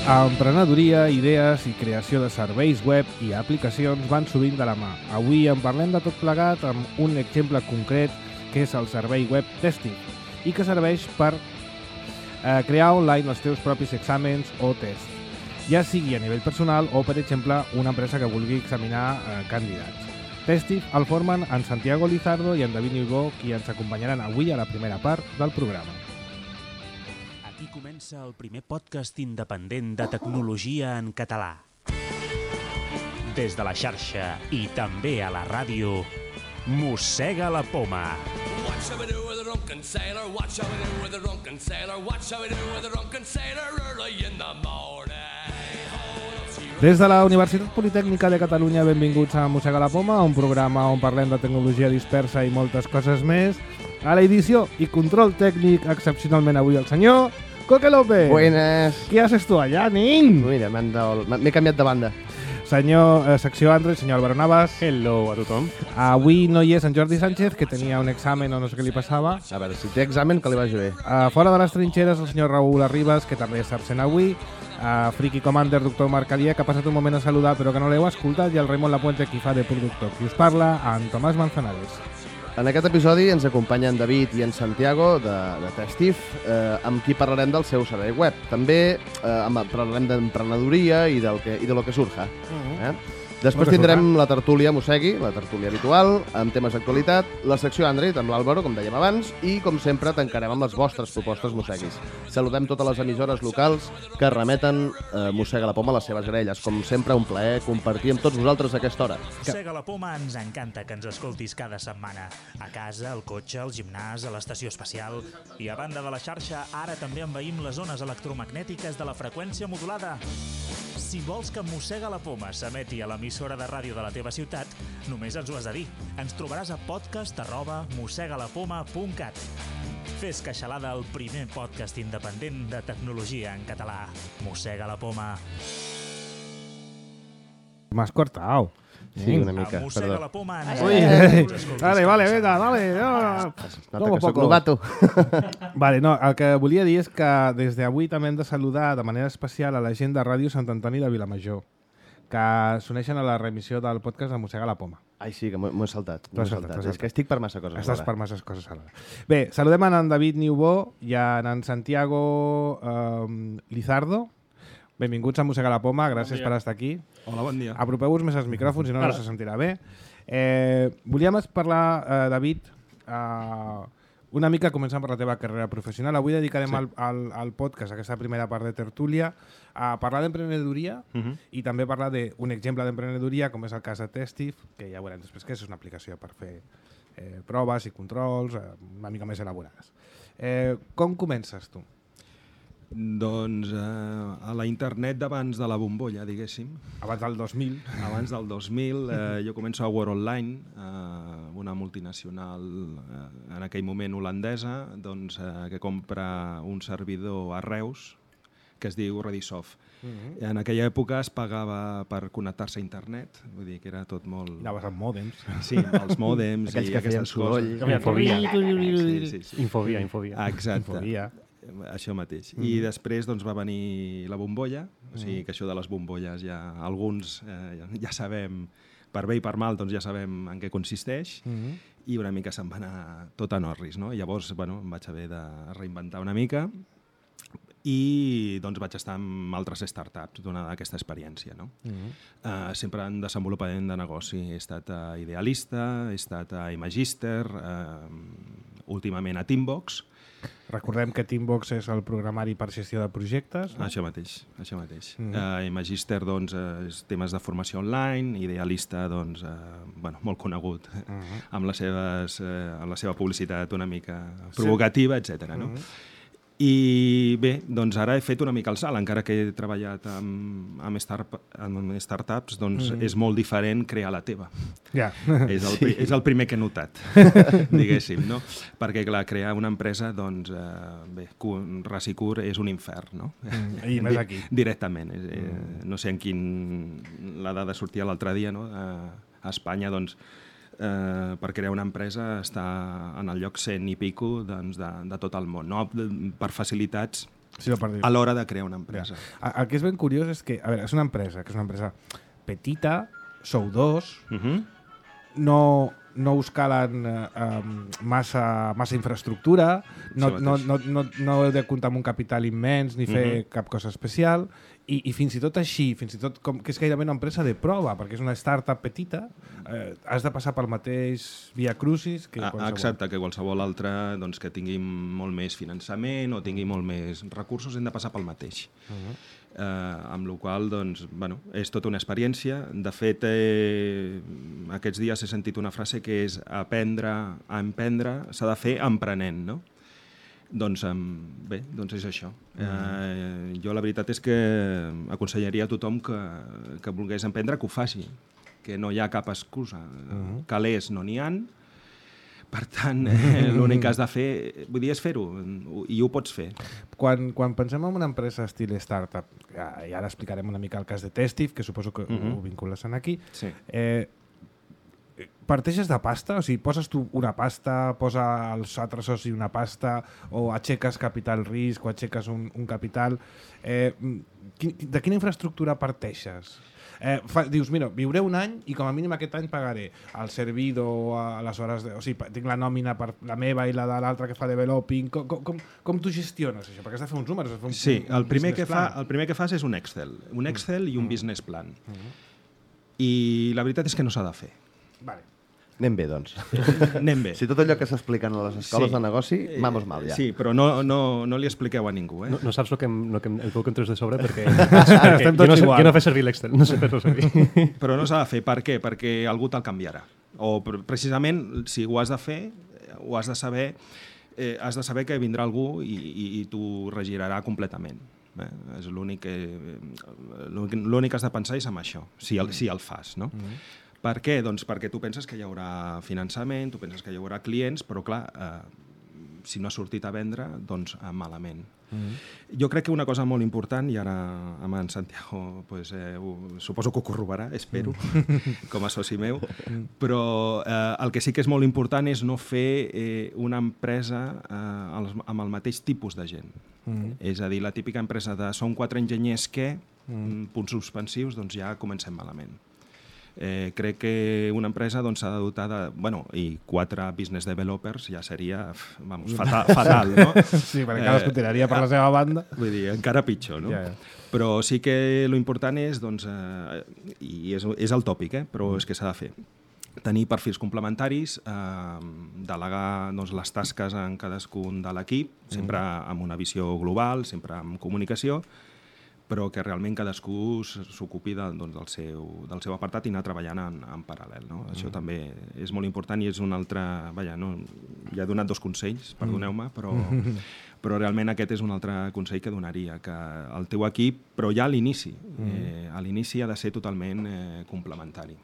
Emprenedoria, idees i creació de serveis web i aplicacions van sovint de la mà. Avui en parlem de tot plegat amb un exemple concret que és el servei web Testif i que serveix per crear online els teus propis exàmens o tests, ja sigui a nivell personal o, per exemple, una empresa que vulgui examinar candidats. Testif el formen en Santiago Lizardo i en David Niubó, qui ens acompanyaran avui a la primera part del programa. Aquí comença el primer podcast independent de tecnologia en català. Des de la xarxa i també a la ràdio, Mossega la Poma. What shall we do with a drunken sailor? What shall we do with a drunken sailor? What shall we do with a drunken sailor early in the morning? Des de la Universitat Politècnica de Catalunya, benvinguts a Mossega la Poma, un programa on parlem de tecnologia dispersa i moltes coses més. A l'edició i control tècnic, excepcionalment avui el senyor Coque López. Buenas. Què haces tu allà, nin? Mira, m'he canviat de banda. Senyor secció Android, senyor Álvaro Navas. Hello a tothom. Avui no hi és en Jordi Sánchez, que tenia un examen o no sé què li passava. A veure, si té examen, que li vagi bé. Fora de les trinxeres, el senyor Raúl Arribas, que també està absent avui. Friki Commander, doctor Marc Alier, que ha passat un moment a saludar però que no l'heu escoltat, i el Raimon Lapuente, qui fa de productor. Qui us parla, en Tomàs Manzanares. En aquest episodi ens acompanyen David i en Santiago de Testif, amb qui parlarem del seu servei web. També parlarem d'emprenedoria i de lo que surja. Després tindrem la tertúlia Mossegui, la tertúlia habitual, amb temes d'actualitat, la secció Android amb l'Àlvaro, com dèiem abans, i, com sempre, tancarem amb les vostres propostes Mosseguis. Saludem totes les emissores locals que remeten Mossega la Poma a les seves grelles. Com sempre, un plaer compartir amb tots vosaltres a aquesta hora. Mossega la Poma ens encanta que ens escoltis cada setmana. A casa, al cotxe, al gimnàs, a l'estació espacial. I a banda de la xarxa, ara també envaïm les zones electromagnètiques de la freqüència modulada. Si vols que Mossega la Poma s'emeti a l'emissora de ràdio de la teva ciutat, només ens ho has de dir. Ens trobaràs a podcast@mossegalapoma.cat. Fes queixalada el primer podcast independent de tecnologia en català. Mossega la Poma. M'has cortado. Sí, una mica, A Mossega perdó. la Poma ens Uy, vale, venga, dale. Nota que soc novato. Vale, no, el que volia dir és que des d'avui també hem de saludar de manera especial a la gent de Ràdio Sant Antoni de Vilamajor, que s'uneixen a la reemissió del podcast de Mossega la Poma. Ai, sí, que m'ho he saltat. T'ho has saltat. És que estic per massa coses. Estàs ara. per masses coses alhora. Bé, saludem en David Niubó i en Santiago Lizardo. Benvinguts a Mossega la Poma, gràcies per estar aquí. Hola, bon dia. Apropeu-vos més als micròfons, si no, no se sentirà bé. Volíem parlar, David, una mica començant per la teva carrera professional. Avui dedicarem al podcast, aquesta primera part de tertúlia, a parlar d'emprenedoria i també parlar d'un exemple d'emprenedoria, com és el cas de Testif, que ja veurem després que és una aplicació per fer proves i controls una mica més elaborades. Com comences tu? Doncs a la internet d'abans de la bombolla, diguéssim. Abans del 2000. Abans del 2000 jo començo a World Online, una multinacional en aquell moment holandesa, doncs, que compra un servidor a Reus que es diu Redisoft. En aquella època es pagava per connectar-se a internet, vull dir que era tot molt... Anaves amb mòdems. Sí, els mòdems Aquells i que feien aquestes coses. soroll. Infobia. Exacte. Infobia. Això mateix. I després doncs, va venir la bombolla, o sigui que això de les bombolles ja alguns ja sabem, per bé i per mal, doncs ja sabem en què consisteix, i una mica se'n va anar tot a Norris, no? Llavors, bueno, em vaig haver de reinventar una mica i doncs vaig estar amb altres startups donada aquesta experiència, no? Sempre en desenvolupament de negoci. He estat a Idealista, he estat a Imagister, últimament a Teambox. Recordem que Teambox és el programari per gestió de projectes. No? Això mateix. Imagister, doncs, és temes de formació online, Idealista, doncs, molt conegut, amb la seva publicitat una mica provocativa, etc. No? I bé, doncs ara he fet una mica el salt, encara que he treballat amb startups, doncs és molt diferent crear la teva. Ja. És el primer que he notat, diguéssim, no? Perquè, clar, crear una empresa, doncs, ras i curt és un infern, no? I més aquí. Directament. No sé en la dada sortia l'altre dia, no? A Espanya, doncs, per crear una empresa està en el lloc 100 i pico doncs, de tot el món. No? Per facilitats Sí, a l'hora de crear una empresa. El que és ben curiós és que, a veure, és una empresa petita, sou dos, no us calen massa infraestructura, no heu de comptar amb un capital immens ni fer cap cosa especial, i fins i tot així, fins i tot com que és gairebé una empresa de prova, perquè és una startup petita, has de passar pel mateix via crucis que qualsevol. Exacte, que qualsevol altre doncs, que tingui molt més finançament o tingui molt més recursos, hem de passar pel mateix. Amb la qual cosa, doncs, bueno, és tota una experiència. De fet, aquests dies he sentit una frase que és emprendre s'ha de fer emprenent, no? Doncs bé, doncs és això. Jo la veritat és que aconsellaria a tothom que volgués emprendre que ho faci, que no hi ha cap excusa. Calés no n'hi han, per tant, l'únic que has de fer, vull dir, és fer-ho, i ho pots fer. Quan pensem en una empresa estil startup, i ara explicarem una mica el cas de Testif, que suposo que ho vincules aquí, sí. Parteixes de pasta? O sigui, poses tu una pasta, posa els altres socis una pasta, o aixeques capital risc, o aixeques un capital. De quina infraestructura parteixes? Dius, mira, viuré un any i com a mínim aquest any pagaré el servidor, a les hores o sigui, tinc la nòmina per la meva i la de l'altra que fa developing. Com tu gestiones això? Perquè has de fer uns números. Sí, el primer que fas és un Excel i un business plan. I la veritat és que no s'ha de fer. Vale. Anem bé, doncs. Anem bé. Si tot allò que s'expliquen a les escoles de negoci, vamos mal, ja. Sí, però no li expliqueu a ningú. No saps el que em puc entrar de sobre perquè jo no fes servir l'Excel, no sé fer-lo servir. Però no s'ha de fer. Per què? Perquè algú te'l canviarà. O precisament, si ho has de fer, ho has de saber que vindrà algú i t'ho regirarà completament. És l'únic que has de pensar és amb això, si el fas, no? Per què? Doncs perquè tu penses que hi haurà finançament, tu penses que hi haurà clients, però clar, si no ha sortit a vendre, doncs malament. Jo crec que una cosa molt important, i ara amb en Santiago suposo que ho corroborarà, espero, com a soci meu, però el que sí que és molt important és no fer una empresa amb el mateix tipus de gent. És a dir, la típica empresa de som 4 enginyers que, punts suspensius, doncs ja comencem malament. Crec que una empresa s'ha de dotar de... i 4 business developers ja seria fatal, no? Sí, perquè cadascú tiraria per la seva banda. Vull dir, encara pitjor, no? Ja. Però sí que l'important és, doncs, i és el tòpic, però és que s'ha de fer. Tenir perfils complementaris, delegar les tasques en cadascun de l'equip, sempre amb una visió global, sempre amb comunicació, però que realment cadascú s'ocupi del seu apartat i anar treballant en paral·lel. No? Això també és molt important i és un altre... ja he donat 2 consells, perdoneu-me, però realment aquest és un altre consell que donaria, que el teu equip, però ja a l'inici ha de ser totalment complementari.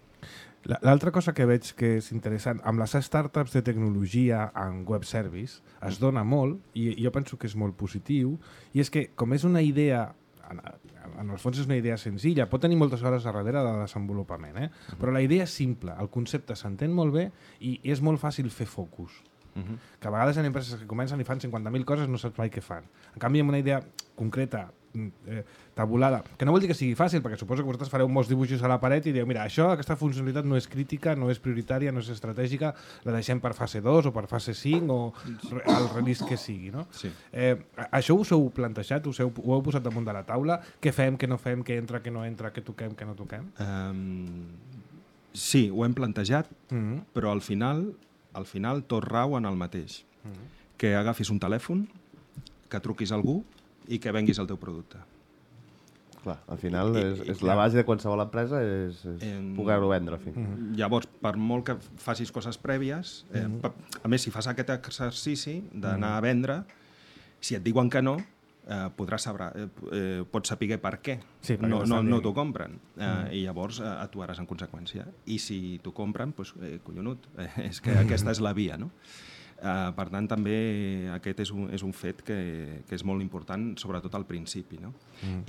L'altra cosa que veig que és interessant, amb les startups de tecnologia en web service es dona molt, i jo penso que és molt positiu, i és que com és una idea... en el fons és una idea senzilla, pot tenir moltes hores a darrere de desenvolupament, però la idea és simple, el concepte s'entén molt bé i és molt fàcil fer focus. Que a vegades hi ha empreses que comencen i fan 50.000 coses i no saps mai què fan. En canvi, amb una idea concreta, tabulada, que no vol dir que sigui fàcil, perquè suposo que vosaltres fareu molts dibuixos a la paret i dieu, mira, aquesta funcionalitat no és crítica, no és prioritària, no és estratègica, la deixem per fase 2 o per fase 5 o el release que sigui, no? Sí. Això us heu plantejat, ho heu posat damunt de la taula? Què fem, què no fem, què entra, què no entra, què toquem, què no toquem? Sí, ho hem plantejat, però al final tot rau en el mateix. Que agafis un telèfon, que truquis a algú i que venguis el teu producte. Clar, al final és la base de qualsevol empresa és poder-ho vendre. Llavors, per molt que facis coses prèvies, a més, si fas aquest exercici d'anar a vendre, si et diuen que no, pots saber per què no t'ho compren. I llavors actuaràs en conseqüència. I si t'ho compren, doncs, collonut, és que aquesta és la via, no? Per tant, també aquest és un fet que és molt important, sobretot al principi, no?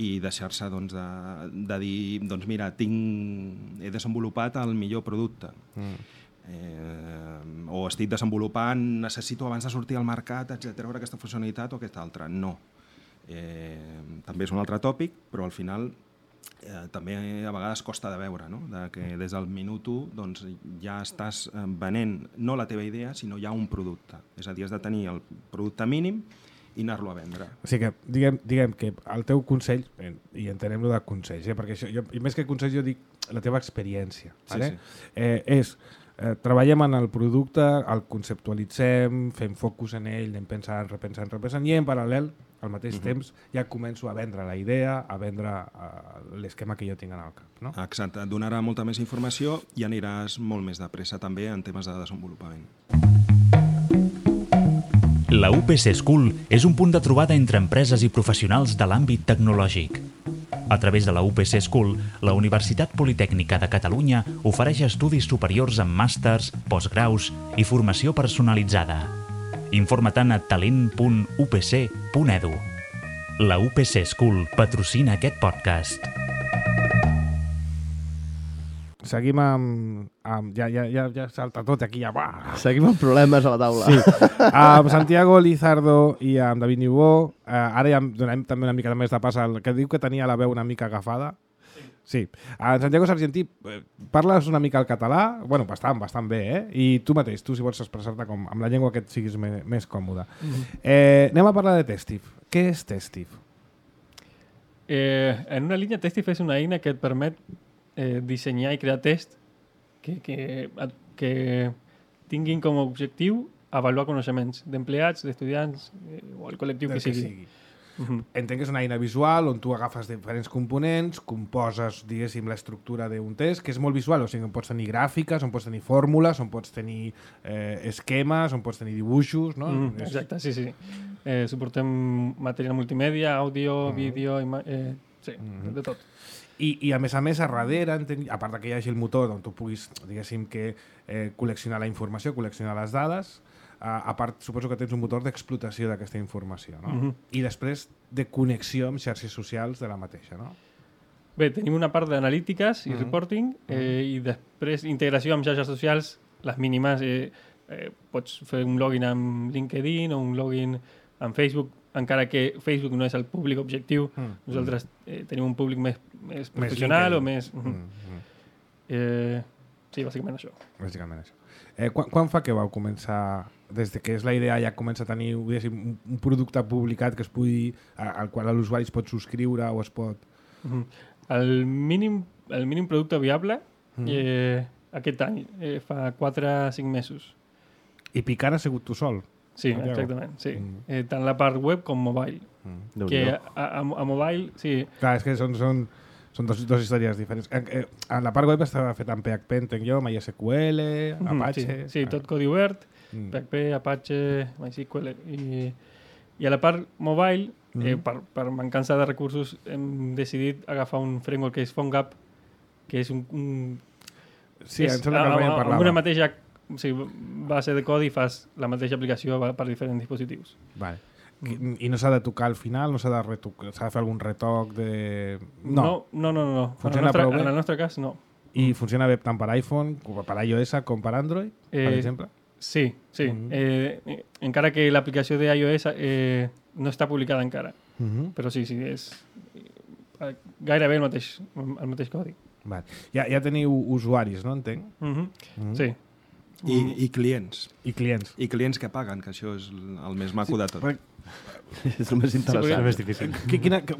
I deixar-se de dir, doncs mira, he desenvolupat el millor producte, o estic desenvolupant, necessito abans de sortir al mercat, etc., aquesta funcionalitat o aquesta altra. No. també és un altre tòpic, però al final també a vegades costa de veure, no? Que des del minut 1 doncs, ja estàs venent no la teva idea, sinó ja un producte. És a dir, has de tenir el producte mínim i anar-lo a vendre. O sigui que diguem que el teu consell, i entenem-lo de consells, perquè això, i més que consells jo dic la teva experiència. Vale? És treballem en el producte, el conceptualitzem, fem focus en ell, anem pensant, repensant, i en paral·lel, al mateix temps, ja començo a vendre la idea, a vendre l'esquema que jo tinc en el cap. No? Exacte, et donarà molta més informació i aniràs molt més de pressa també en temes de desenvolupament. La UPC School és un punt de trobada entre empreses i professionals de l'àmbit tecnològic. A través de la UPC School, la Universitat Politècnica de Catalunya ofereix estudis superiors amb màsters, postgraus i formació personalitzada. Informa-te'n a talent.upc.edu. La UPC School patrocina aquest podcast. Seguim amb ja salta tot aquí, ja va. Seguim amb problemes a la taula. Sí. Amb Santiago Lizardo i amb David Niubó, ara ja donem també una mica més de pas al que diu que tenia la veu una mica agafada. Sí. En Santiago Sargentí, parles una mica el català, bueno, bastant bé, I tu mateix, tu si vols expressar-te amb la llengua que et siguis més còmode. Anem a parlar de Testif. Què és Testif? En una línia, Testif és una eina que et permet dissenyar i crear tests que tinguin com a objectiu avaluar coneixements d'empleats, d'estudiants o el col·lectiu que sigui. Entenc que és una eina visual on tu agafes diferents components, composes, diguéssim, l'estructura d'un test, que és molt visual, o sigui, on pots tenir gràfiques, on pots tenir fórmules, on pots tenir esquemes, on pots tenir dibuixos, no? Exacte, sí. Suportem material multimèdia, àudio, vídeo, sí, de tot. I a més, a darrere, a part que hi hagi el motor on tu puguis, diguéssim, que col·leccionar la informació, col·leccionar les dades, a part, suposo que tens un motor d'explotació d'aquesta informació, no? I després de connexió amb xarxes socials de la mateixa, no? Bé, tenim una part d'analítiques i reporting i després integració amb xarxes socials, les mínimes. Pots fer un login amb LinkedIn o un login amb Facebook, encara que Facebook no és el públic objectiu. Nosaltres tenim un públic més professional o més... Sí, bàsicament això. Quan fa que vau començar, des que és la idea ja comença a tenir un producte publicat que es pugui, al qual l'usuari es pot subscriure o es pot... El mínim producte viable aquest any, fa 4 o 5 mesos. I picant ha sigut tu sol? Sí, exactament, sí. Tant la part web com mobile. Que a mobile, sí. Clar, és que són dos històries diferents. En la part web estava fet amb PHP, entenc jo, MySQL, Apache... Sí, tot codi obert, PHP, Apache, MySQL. I a la part mobile, per mancança de recursos, hem decidit agafar un framework que és PhoneGap, que és Sí, em sembla que el parlava. Amb una mateixa base de codi fas la mateixa aplicació per diferents dispositius. Vale. I no s'ha de tocar al final? No s'ha de retocar? S'ha de fer algun retoc de... No. Funciona prou bé? En el nostre cas, no. I funciona bé tant per iPhone, per iOS com per Android, per exemple? Sí. Encara que l'aplicació d'iOS no està publicada encara. Però sí, és gairebé el mateix codi. Vale. Ja teniu usuaris, no? Entenc? Sí. I clients. I clients. I clients que paguen, que això és el més maco de tot. És el més interessant. És el més difícil.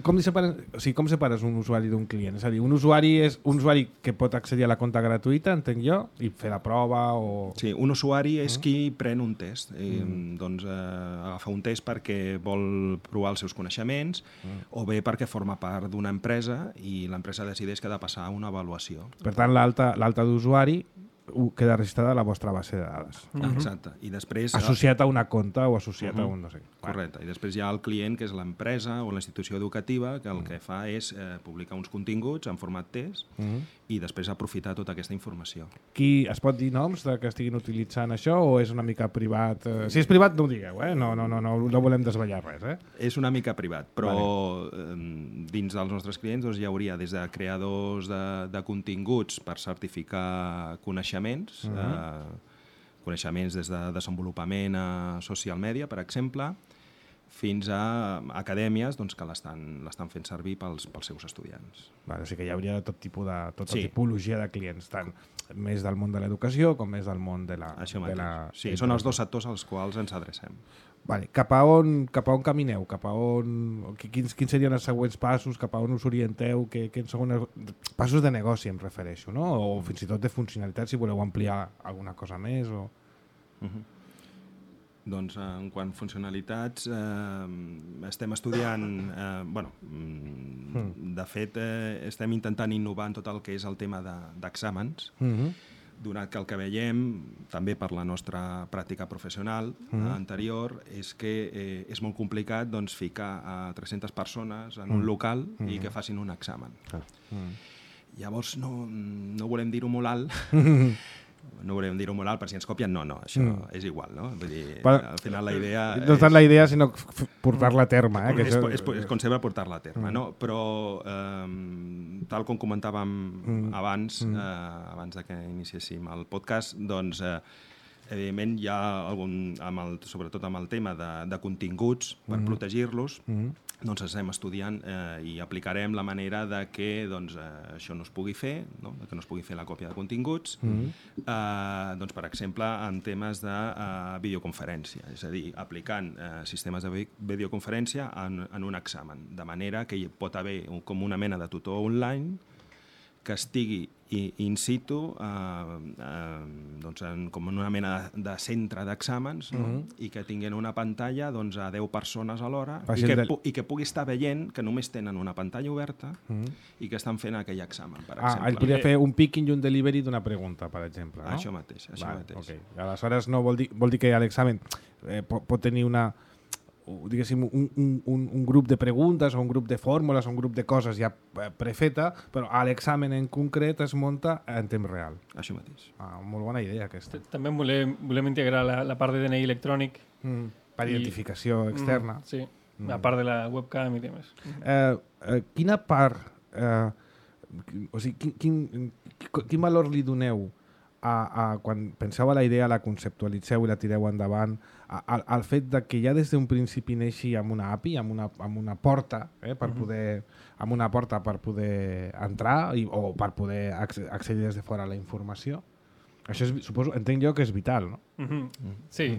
Com separes un usuari d'un client? És a dir, un usuari és un usuari que pot accedir a la compta gratuïta, entenc jo, i fer la prova o... Sí, un usuari és qui pren un test. Doncs agafa un test perquè vol provar els seus coneixements o bé perquè forma part d'una empresa i l'empresa decideix que ha de passar una avaluació. Per tant, l'alta d'usuari queda registrada a la vostra base de dades. Exacte. I després... Associat a una compta o associat a un no sé. Correcte. I després hi ha el client, que és l'empresa o la institució educativa, que el que fa és publicar uns continguts en format test i després aprofitar tota aquesta informació. Qui es pot dir noms que estiguin utilitzant això o és una mica privat? Si és privat, no ho digueu, no volem desvetllar res. És una mica privat, però dins dels nostres clients hi hauria des de creadors de continguts per certificar coneixements, coneixements des de desenvolupament a social media, per exemple, fins a acadèmies doncs, que l'estan fent servir pels seus estudiants. Vale, o sigui que hi hauria tot tipus de tota Sí. tipologia de clients, tant més del món de l'educació com més del món de la... Això de mateix. la Sí, són els dos sectors als quals ens adrecem. Vale, cap a on camineu? Cap a on, quins serien els següents passos? Cap a on us orienteu? Quins són passos de negoci, em refereixo, no? O fins i tot de funcionalitat, si voleu ampliar alguna cosa més. O... Doncs en quant a funcionalitats, estem estudiant... De fet, estem intentant innovar en tot el que és el tema d'exàmens, donat que el que veiem, també per la nostra pràctica professional anterior, és que és molt complicat doncs, ficar a 300 persones en un local i que facin un examen. Llavors, no volem dir-ho molt alt, no volem dir-ho molt alt, per si ens copien, no, això és igual, no? Vull dir, al final la idea... No tant la idea, sinó portar-la a terme. És com sempre portar-la a terme, no? Però, tal com comentàvem abans de que iniciéssim el podcast, doncs, evidentment hi ha sobretot amb el tema de continguts, per protegir-los, doncs estem estudiant i aplicarem la manera de que això no es pugui fer, que no es pugui fer la còpia de continguts, doncs, per exemple, en temes de videoconferència, és a dir, aplicant sistemes de videoconferència en un examen, de manera que hi pot haver com una mena de tutor online que estigui in situ com una mena de centre d'exàmens i que tinguin una pantalla a 10 persones alhora i que pugui estar veient que només tenen una pantalla oberta i que estan fent aquell examen, per exemple. Ell podria fer un picking i un delivery d'una pregunta, per exemple, no? Això mateix. Okay. Aleshores, no vol dir que l'examen pot tenir diguéssim, un grup de preguntes o un grup de fórmules o un grup de coses ja prefeta, però l'examen en concret es munta en temps real. Això mateix. Molt bona idea, aquesta. També volem integrar la part de DNI electrònic. Per identificació externa. Sí, a part de la webcam i demés. Quina part, o sigui, quin valor li doneu quan penseu a la idea, la conceptualitzeu i la tireu endavant, al fet de que ja des d'un principi neixi amb una API, amb una porta, per poder entrar o per poder accedir des de fora a la informació? Això entenc jo que és vital, no? Sí,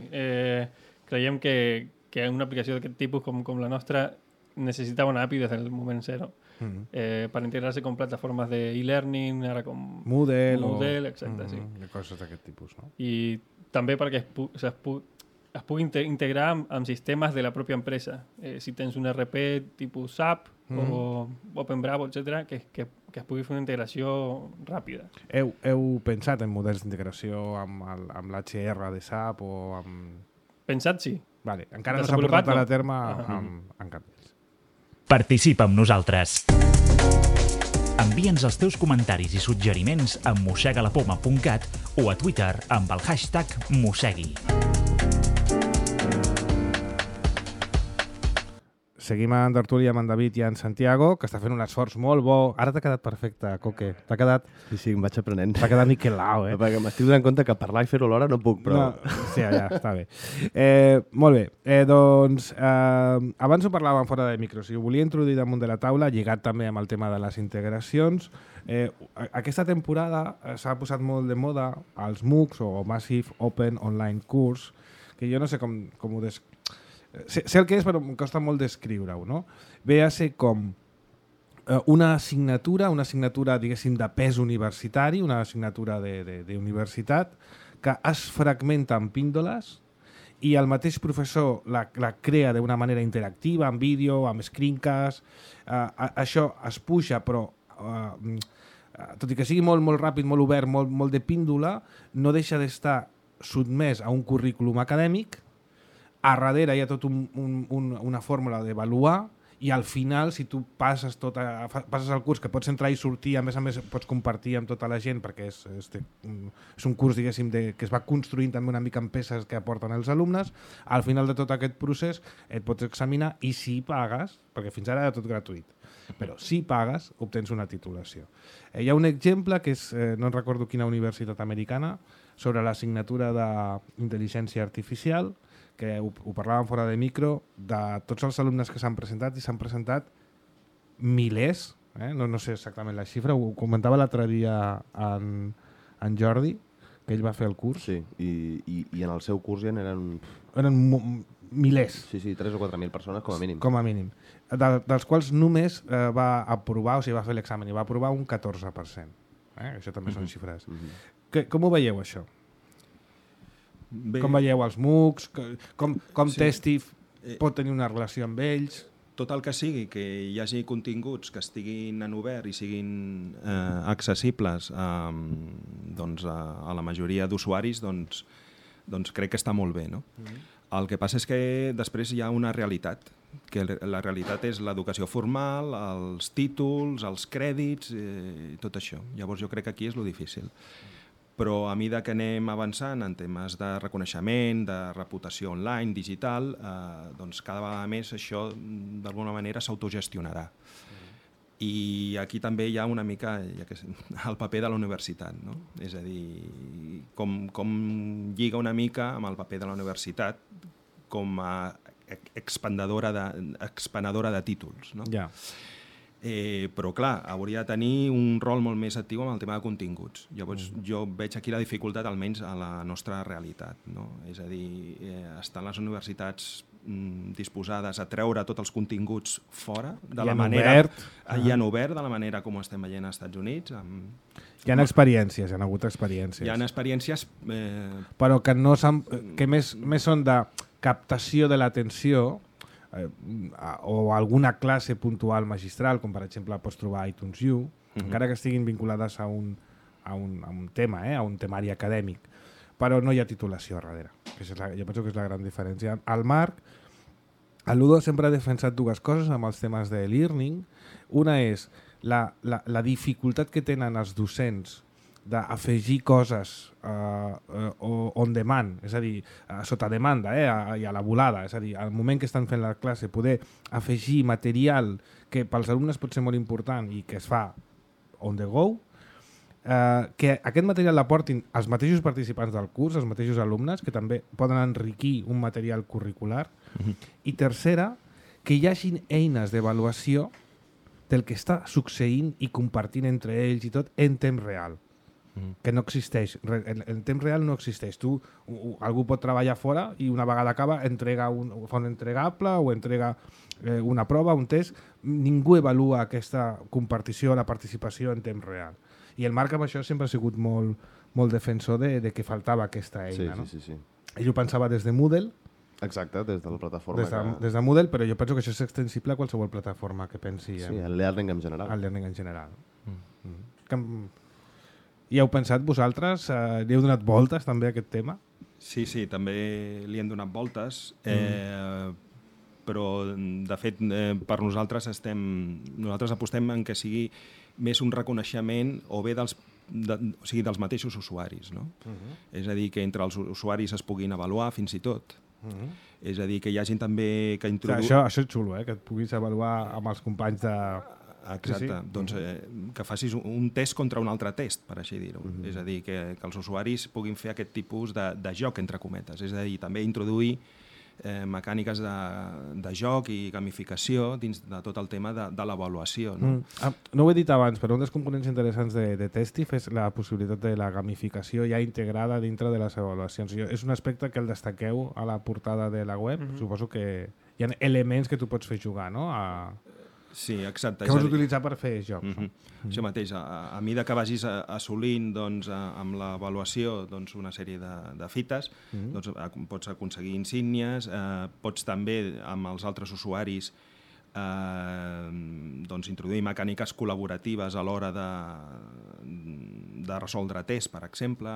creiem que una aplicació d'aquest tipus com la nostra necessitava una API des del moment zero. Per integrar-se con plataformes de e-learning, ara com Moodle, exacte, sí. Coses d'aquest tipus, no? I també perquè es pugui integrar amb sistemes de la pròpia empresa. Si tens un RP tipus SAP o OpenBravo, etc., que es pugui fer una integració ràpida. Heu pensat en models d'integració amb l'HR de SAP o amb... Pensat, sí. Vale. Encara no s'ha portat a terme en cap d'ells. Participa amb nosaltres. Envia'ns els teus comentaris i suggeriments a mossegalapoma.cat o a Twitter amb el hashtag Mossegui. Seguim en tertúlia amb en David i en Santiago, que està fent un esforç molt bo. Ara t'ha quedat perfecte, Coque. T'ha quedat... Sí, em vaig aprenent. T'ha quedat niquelau, Perquè m'estic donant compte que parlar i fer-ho alhora no puc, però... No, sí, ja, està bé. Molt bé. Doncs, abans ho parlàvem fora de micro. Si ho volia introduir damunt de la taula, lligat també amb el tema de les integracions. Aquesta temporada s'ha posat molt de moda els MOOCs o Massive Open Online Course, que jo no sé com ho sé el que és, però em costa molt descriure-ho, no? Ve a ser com una assignatura, diguéssim, de pes universitari, una assignatura d'universitat, que es fragmenta en píndoles i el mateix professor la crea d'una manera interactiva, amb vídeo, amb screencast. Això es puja, però tot i que sigui molt, molt ràpid, molt obert, molt de píndola, no deixa d'estar sotmès a un currículum acadèmic. A darrere hi ha tot una fórmula d'avaluar i al final, si tu passes el curs, que pots entrar i sortir, a més pots compartir amb tota la gent, perquè és un curs, diguéssim, que es va construint també una mica amb peces que aporten els alumnes, al final de tot aquest procés et pots examinar i si pagues, perquè fins ara era tot gratuït, però si pagues obtens una titulació. Hi ha un exemple que és, no recordo quina universitat americana, sobre l'assignatura d'intel·ligència artificial, que ho parlàvem fora de micro, de tots els alumnes que s'han presentat, i s'han presentat milers, no sé exactament la xifra, ho comentava l'altre dia en Jordi, que ell va fer el curs. Sí, i en el seu curs ja eren... Eren milers. Sí, 3 o 4.000 persones com a mínim. Com a mínim. Dels quals només va aprovar, o sigui, va fer l'examen i va aprovar un 14%. Això també són xifres. Com ho veieu, això? Bé, com veieu els MOOCs? Com Testif pot tenir una relació amb ells? tot el que sigui que hi hagi continguts que estiguin en obert i siguin accessibles doncs, a la majoria d'usuaris, doncs crec que està molt bé. No? El que passa és que després hi ha una realitat, que la realitat és l'educació formal, els títols, els crèdits, tot això. Llavors jo crec que aquí és lo difícil. Però a mesura que anem avançant en temes de reconeixement, de reputació online, digital, doncs cada vegada més això d'alguna manera s'autogestionarà. I aquí també hi ha una mica el paper de la universitat, no? És a dir, com lliga una mica amb el paper de la universitat com a expandadora de títols, no? Ja. Però clar, hauria de tenir un rol molt més actiu amb el tema de continguts. Llavors jo veig aquí la dificultat almenys a la nostra realitat, no? És a dir, estan les universitats disposades a treure tots els continguts fora de la manera i en obert de la manera com ho estem veient als Estats Units. Hi ha experiències, hi ha hagut experiències. Hi ha experiències... Però que no que més són de captació de l'atenció o alguna classe puntual magistral, com per exemple pots trobar a iTunes U, encara que estiguin vinculades a un tema, a un temari acadèmic, però no hi ha titulació a darrere. Jo penso que és la gran diferència. El Marc, el Ludo sempre ha defensat dues coses amb els temes de l'e-learning. Una és la dificultat que tenen els docents d'afegir coses on demand, és a dir, sota demanda i a la volada, és a dir, al moment que estan fent la classe, poder afegir material que pels alumnes pot ser molt important i que es fa on the go, que aquest material l'aportin els mateixos participants del curs, els mateixos alumnes, que també poden enriquir un material curricular. I tercera, que hi hagin eines d'avaluació del que està succeint i compartint entre ells i tot en temps real. Que no existeix. En temps real no existeix. Algú pot treballar fora i una vegada acaba fa un entregable o entrega una prova, un test. Ningú avalua aquesta compartició, la participació en temps real. I el Marc amb això sempre ha sigut molt defensor de que faltava aquesta eina. Sí. Ell ho pensava des de Moodle. Exacte, des de la plataforma. Des de Moodle, però jo penso que això és extensible a qualsevol plataforma que pensi. Sí, el learning en general. El learning en general. I heu pensat vosaltres, li heu donat voltes també a aquest tema? Sí, també li hem donat voltes, però de fet per nosaltres apostem en que sigui més un reconeixement o bé dels mateixos usuaris, no? És a dir, que entre els usuaris es puguin avaluar fins i tot. És a dir, que hi hagin també... Això és xulo, que et puguis avaluar amb els companys de... Exacte, doncs que facis un test contra un altre test, per així dir-ho. És a dir, que els usuaris puguin fer aquest tipus de joc, entre cometes. És a dir, també introduir mecàniques de joc i gamificació dins de tot el tema de l'avaluació. No ho he dit abans, però un dels components interessants de Testif és la possibilitat de la gamificació ja integrada dintre de les avaluacions. És un aspecte que el destaqueu a la portada de la web. Suposo que hi ha elements que tu pots fer jugar, no? Sí, exacte. Que vols utilitzar per fer jocs. Això mateix, a mesura que vagis assolint amb l'avaluació una sèrie de fites, pots aconseguir insígnies, pots també amb els altres usuaris introduir mecàniques col·laboratives a l'hora de resoldre tests, per exemple,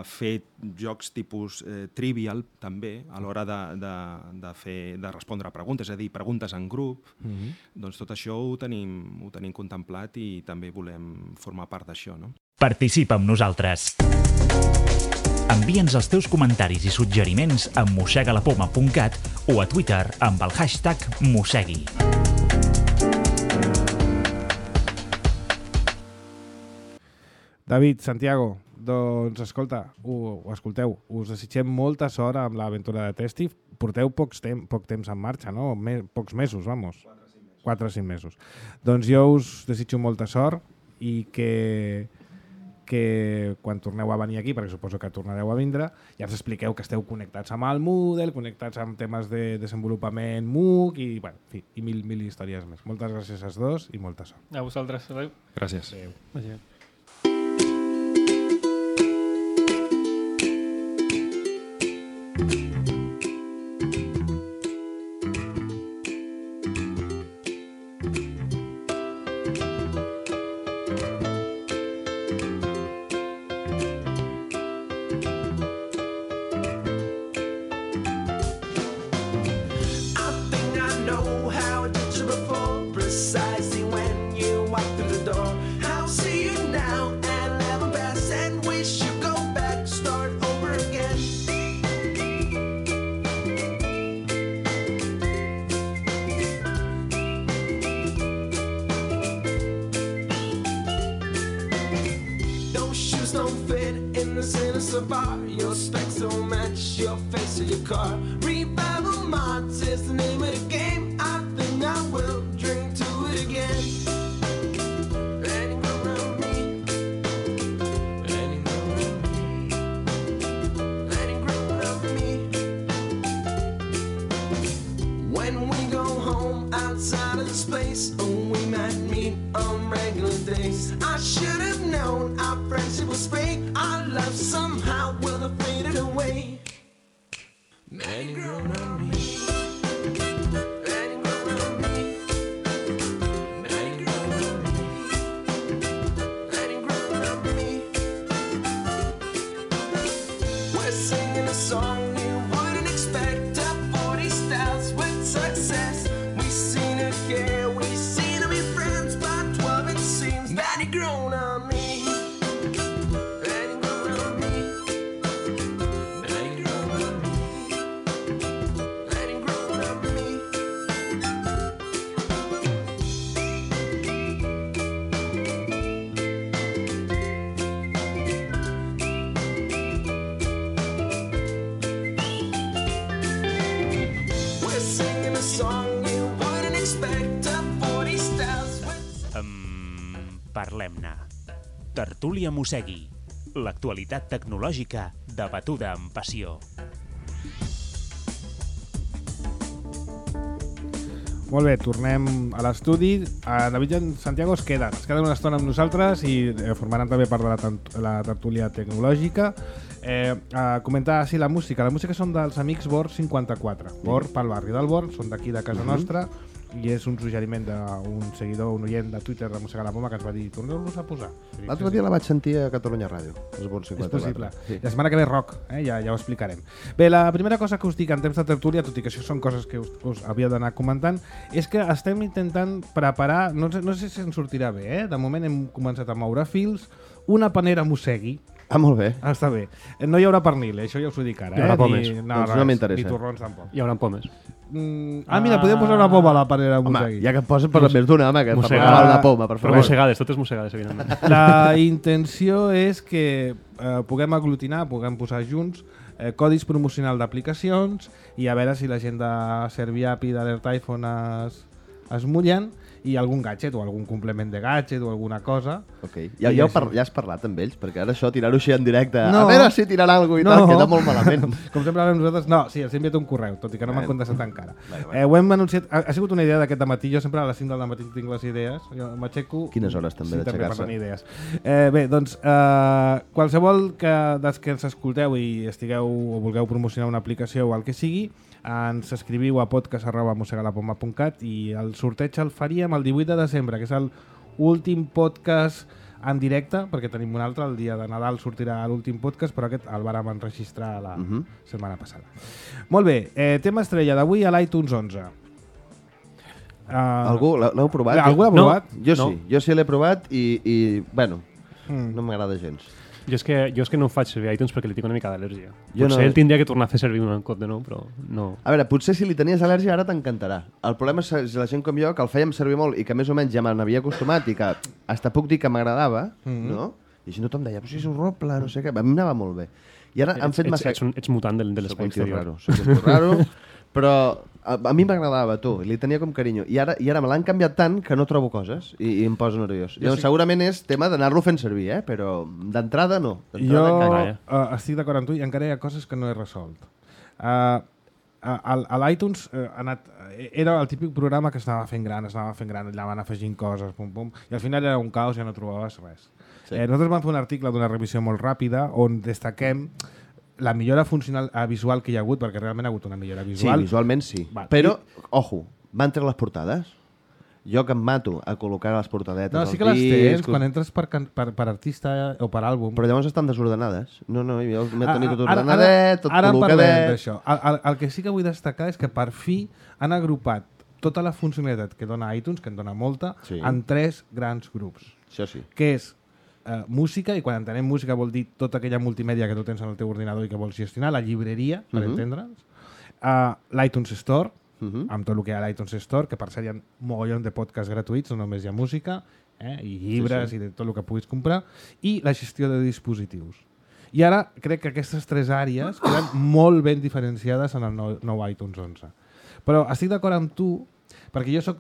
fer jocs tipus trivial també a l'hora de respondre a preguntes, és a dir, preguntes en grup. Doncs tot això ho tenim contemplat i també volem formar part d'això, no? Participa amb nosaltres. Envia'ns els teus comentaris i suggeriments a mossegalapoma.cat o a Twitter amb el hashtag Mossegui. David, Santiago, Doncs, escolta, ho escolteu, us desitgem molta sort amb l'aventura de Testif. Porteu poc temps en marxa, no? Pocs mesos, vamos. 4 o 5 mesos. Doncs jo us desitjo molta sort i que quan torneu a venir aquí, perquè suposo que tornareu a vindre, ja ens expliqueu que esteu connectats amb el Moodle, connectats amb temes de desenvolupament MOOC i, bueno, en fi, i mil històries més. Moltes gràcies als dos i molta sort. A vosaltres. Adéu. Gràcies. Adéu. Your specs don't match your face or your car. Revival Mods is the name of the game. I think I will drink to it again. Letting go around me. Letting go around me. Letting go around me. When we go home outside of the space, oh, we might meet on regular days. I should have known our friendship was fake. Our love somehow will have faded away. Letting go around me. Letting go around me. Letting go around me. Letting go around me. We're singing a song you wouldn't expect. Top 40 styles with success. We've seen it care, we've seen it be friends. By 12 it seems that you've grown on me. Parlem-ne. Tertúlia Mossegui. L'actualitat tecnològica debatuda amb passió. Molt bé, tornem a l'estudi. David i en Santiago es queden una estona amb nosaltres i formaran també part de la tertúlia tecnològica. A comentar així la música. La música són dels amics Bor 54. Bor, pel barri del Bor, són d'aquí de casa nostra i és un suggeriment d'un seguidor, un oient de Twitter de Mossegar la Poma que ens va dir torneu-los a posar. L'altre dia la vaig sentir a Catalunya Ràdio. És possible. Sí. La setmana que ve rock, ja ho explicarem. Bé, la primera cosa que us dic en temps de tertúlia, tot i que això són coses que us havia d'anar comentant, és que estem intentant preparar, no sé si ens sortirà bé, de moment hem començat a moure fils, una panera Mossegui. Ah, molt bé. Està bé. No hi haurà pernil, això ja us ho dic ara. Hi haurà pomes. No m'interessa. Ni torrons tampoc. Hi haurà pomes. Mira, podem posar una poma a la panera Mossegui. Home, ja que et posen per més d'una, home, que per parlar una poma, per favor. Però mossegades, totes mossegades, evidentment. La intenció és que puguem aglutinar, puguem posar junts codis promocionals d'aplicacions i a veure si la gent de Serviapi i d'Alert iPhone es mullen i algun gadget o algun complement de gadget o alguna cosa. Ok. Ja has parlat amb ells? Perquè ara això, tirar-ho així en directe, a veure si tiraran alguna cosa i tal, queda molt malament. Com sempre vam nosaltres, no, sí, els he enviat un correu, tot i que no m'han contestat encara. Ho hem anunciat, ha sigut una idea d'aquest matí, jo sempre a les 5 del matí tinc les idees, jo m'aixeco... Quines hores també d'aixecar-se? Bé, doncs, qualsevol dels que ens escolteu i estigueu o vulgueu promocionar una aplicació o el que sigui, ens escriviu a podcast@mossegalapoma.cat i el sorteig el faríem el 18 de desembre, que és l'últim podcast en directe, perquè tenim un altre, el dia de Nadal sortirà l'últim podcast, però aquest el vàrem enregistrar la setmana passada. Molt bé, tema estrella d'avui a l'iTunes 11. Algú l'heu provat? Algú l'ha provat? Jo sí l'he provat i bueno, no m'agrada gens. Jo és que no ho faig servir iTunes perquè li tinc una mica d'al·lèrgia. Potser ell tindria que tornar a fer servir un cop de nou, però no. A veure, potser si li tenies al·lèrgia ara t'encantarà. El problema és la gent com jo, que el fèiem servir molt i que més o menys ja me n'havia acostumat i que hasta puc dir que m'agradava, no? I així tothom deia, però si és horrible, no sé què. A mi m'anava molt bé. I ara han fet massa... Ets mutant de l'espai exterior. Soc un tio raro, però a mi m'agradava, tu, li tenia com carinyo. I ara me l'han canviat tant que no trobo coses i em poso nerviós. Segurament és tema d'anar-lo fent servir, però d'entrada no. Jo estic d'acord amb tu i encara hi ha coses que no he resolt. A l'iTunes era el típic programa que s'anava fent gran, allà van afegint coses, pum, pum, i al final era un caos i ja no trobaves res. Sí. Nosaltres vam fer un article d'una revisió molt ràpida on destaquem la millora funcional visual que hi ha hagut, perquè realment ha hagut una millora visual. Sí, visualment sí. Però, ojo, van treure les portades. Jo que em mato a col·locar les portadetes no, sí que les tens, quan entres per artista o per àlbum. Però llavors estan desordenades. No, jo m'he tenit tot ordenadet, tot col·locadet... Ara parlem d'això. El que sí que vull destacar és que per fi han agrupat tota la funcionalitat que dona iTunes, que en dona molta, en 3 grans grups. Això sí. Que és música, i quan entenem música vol dir tota aquella multimèdia que tu tens en el teu ordinador i que vols gestionar, la llibreria, per entendre'ns, l'iTunes Store, amb tot el que hi ha a l'iTunes Store, que per cert hi ha mogollon de podcasts gratuïts, no només hi ha música, i llibres i de tot el que puguis comprar, i la gestió de dispositius. I ara crec que aquestes 3 àrees queden molt ben diferenciades en el nou iTunes 11. Però estic d'acord amb tu, perquè jo soc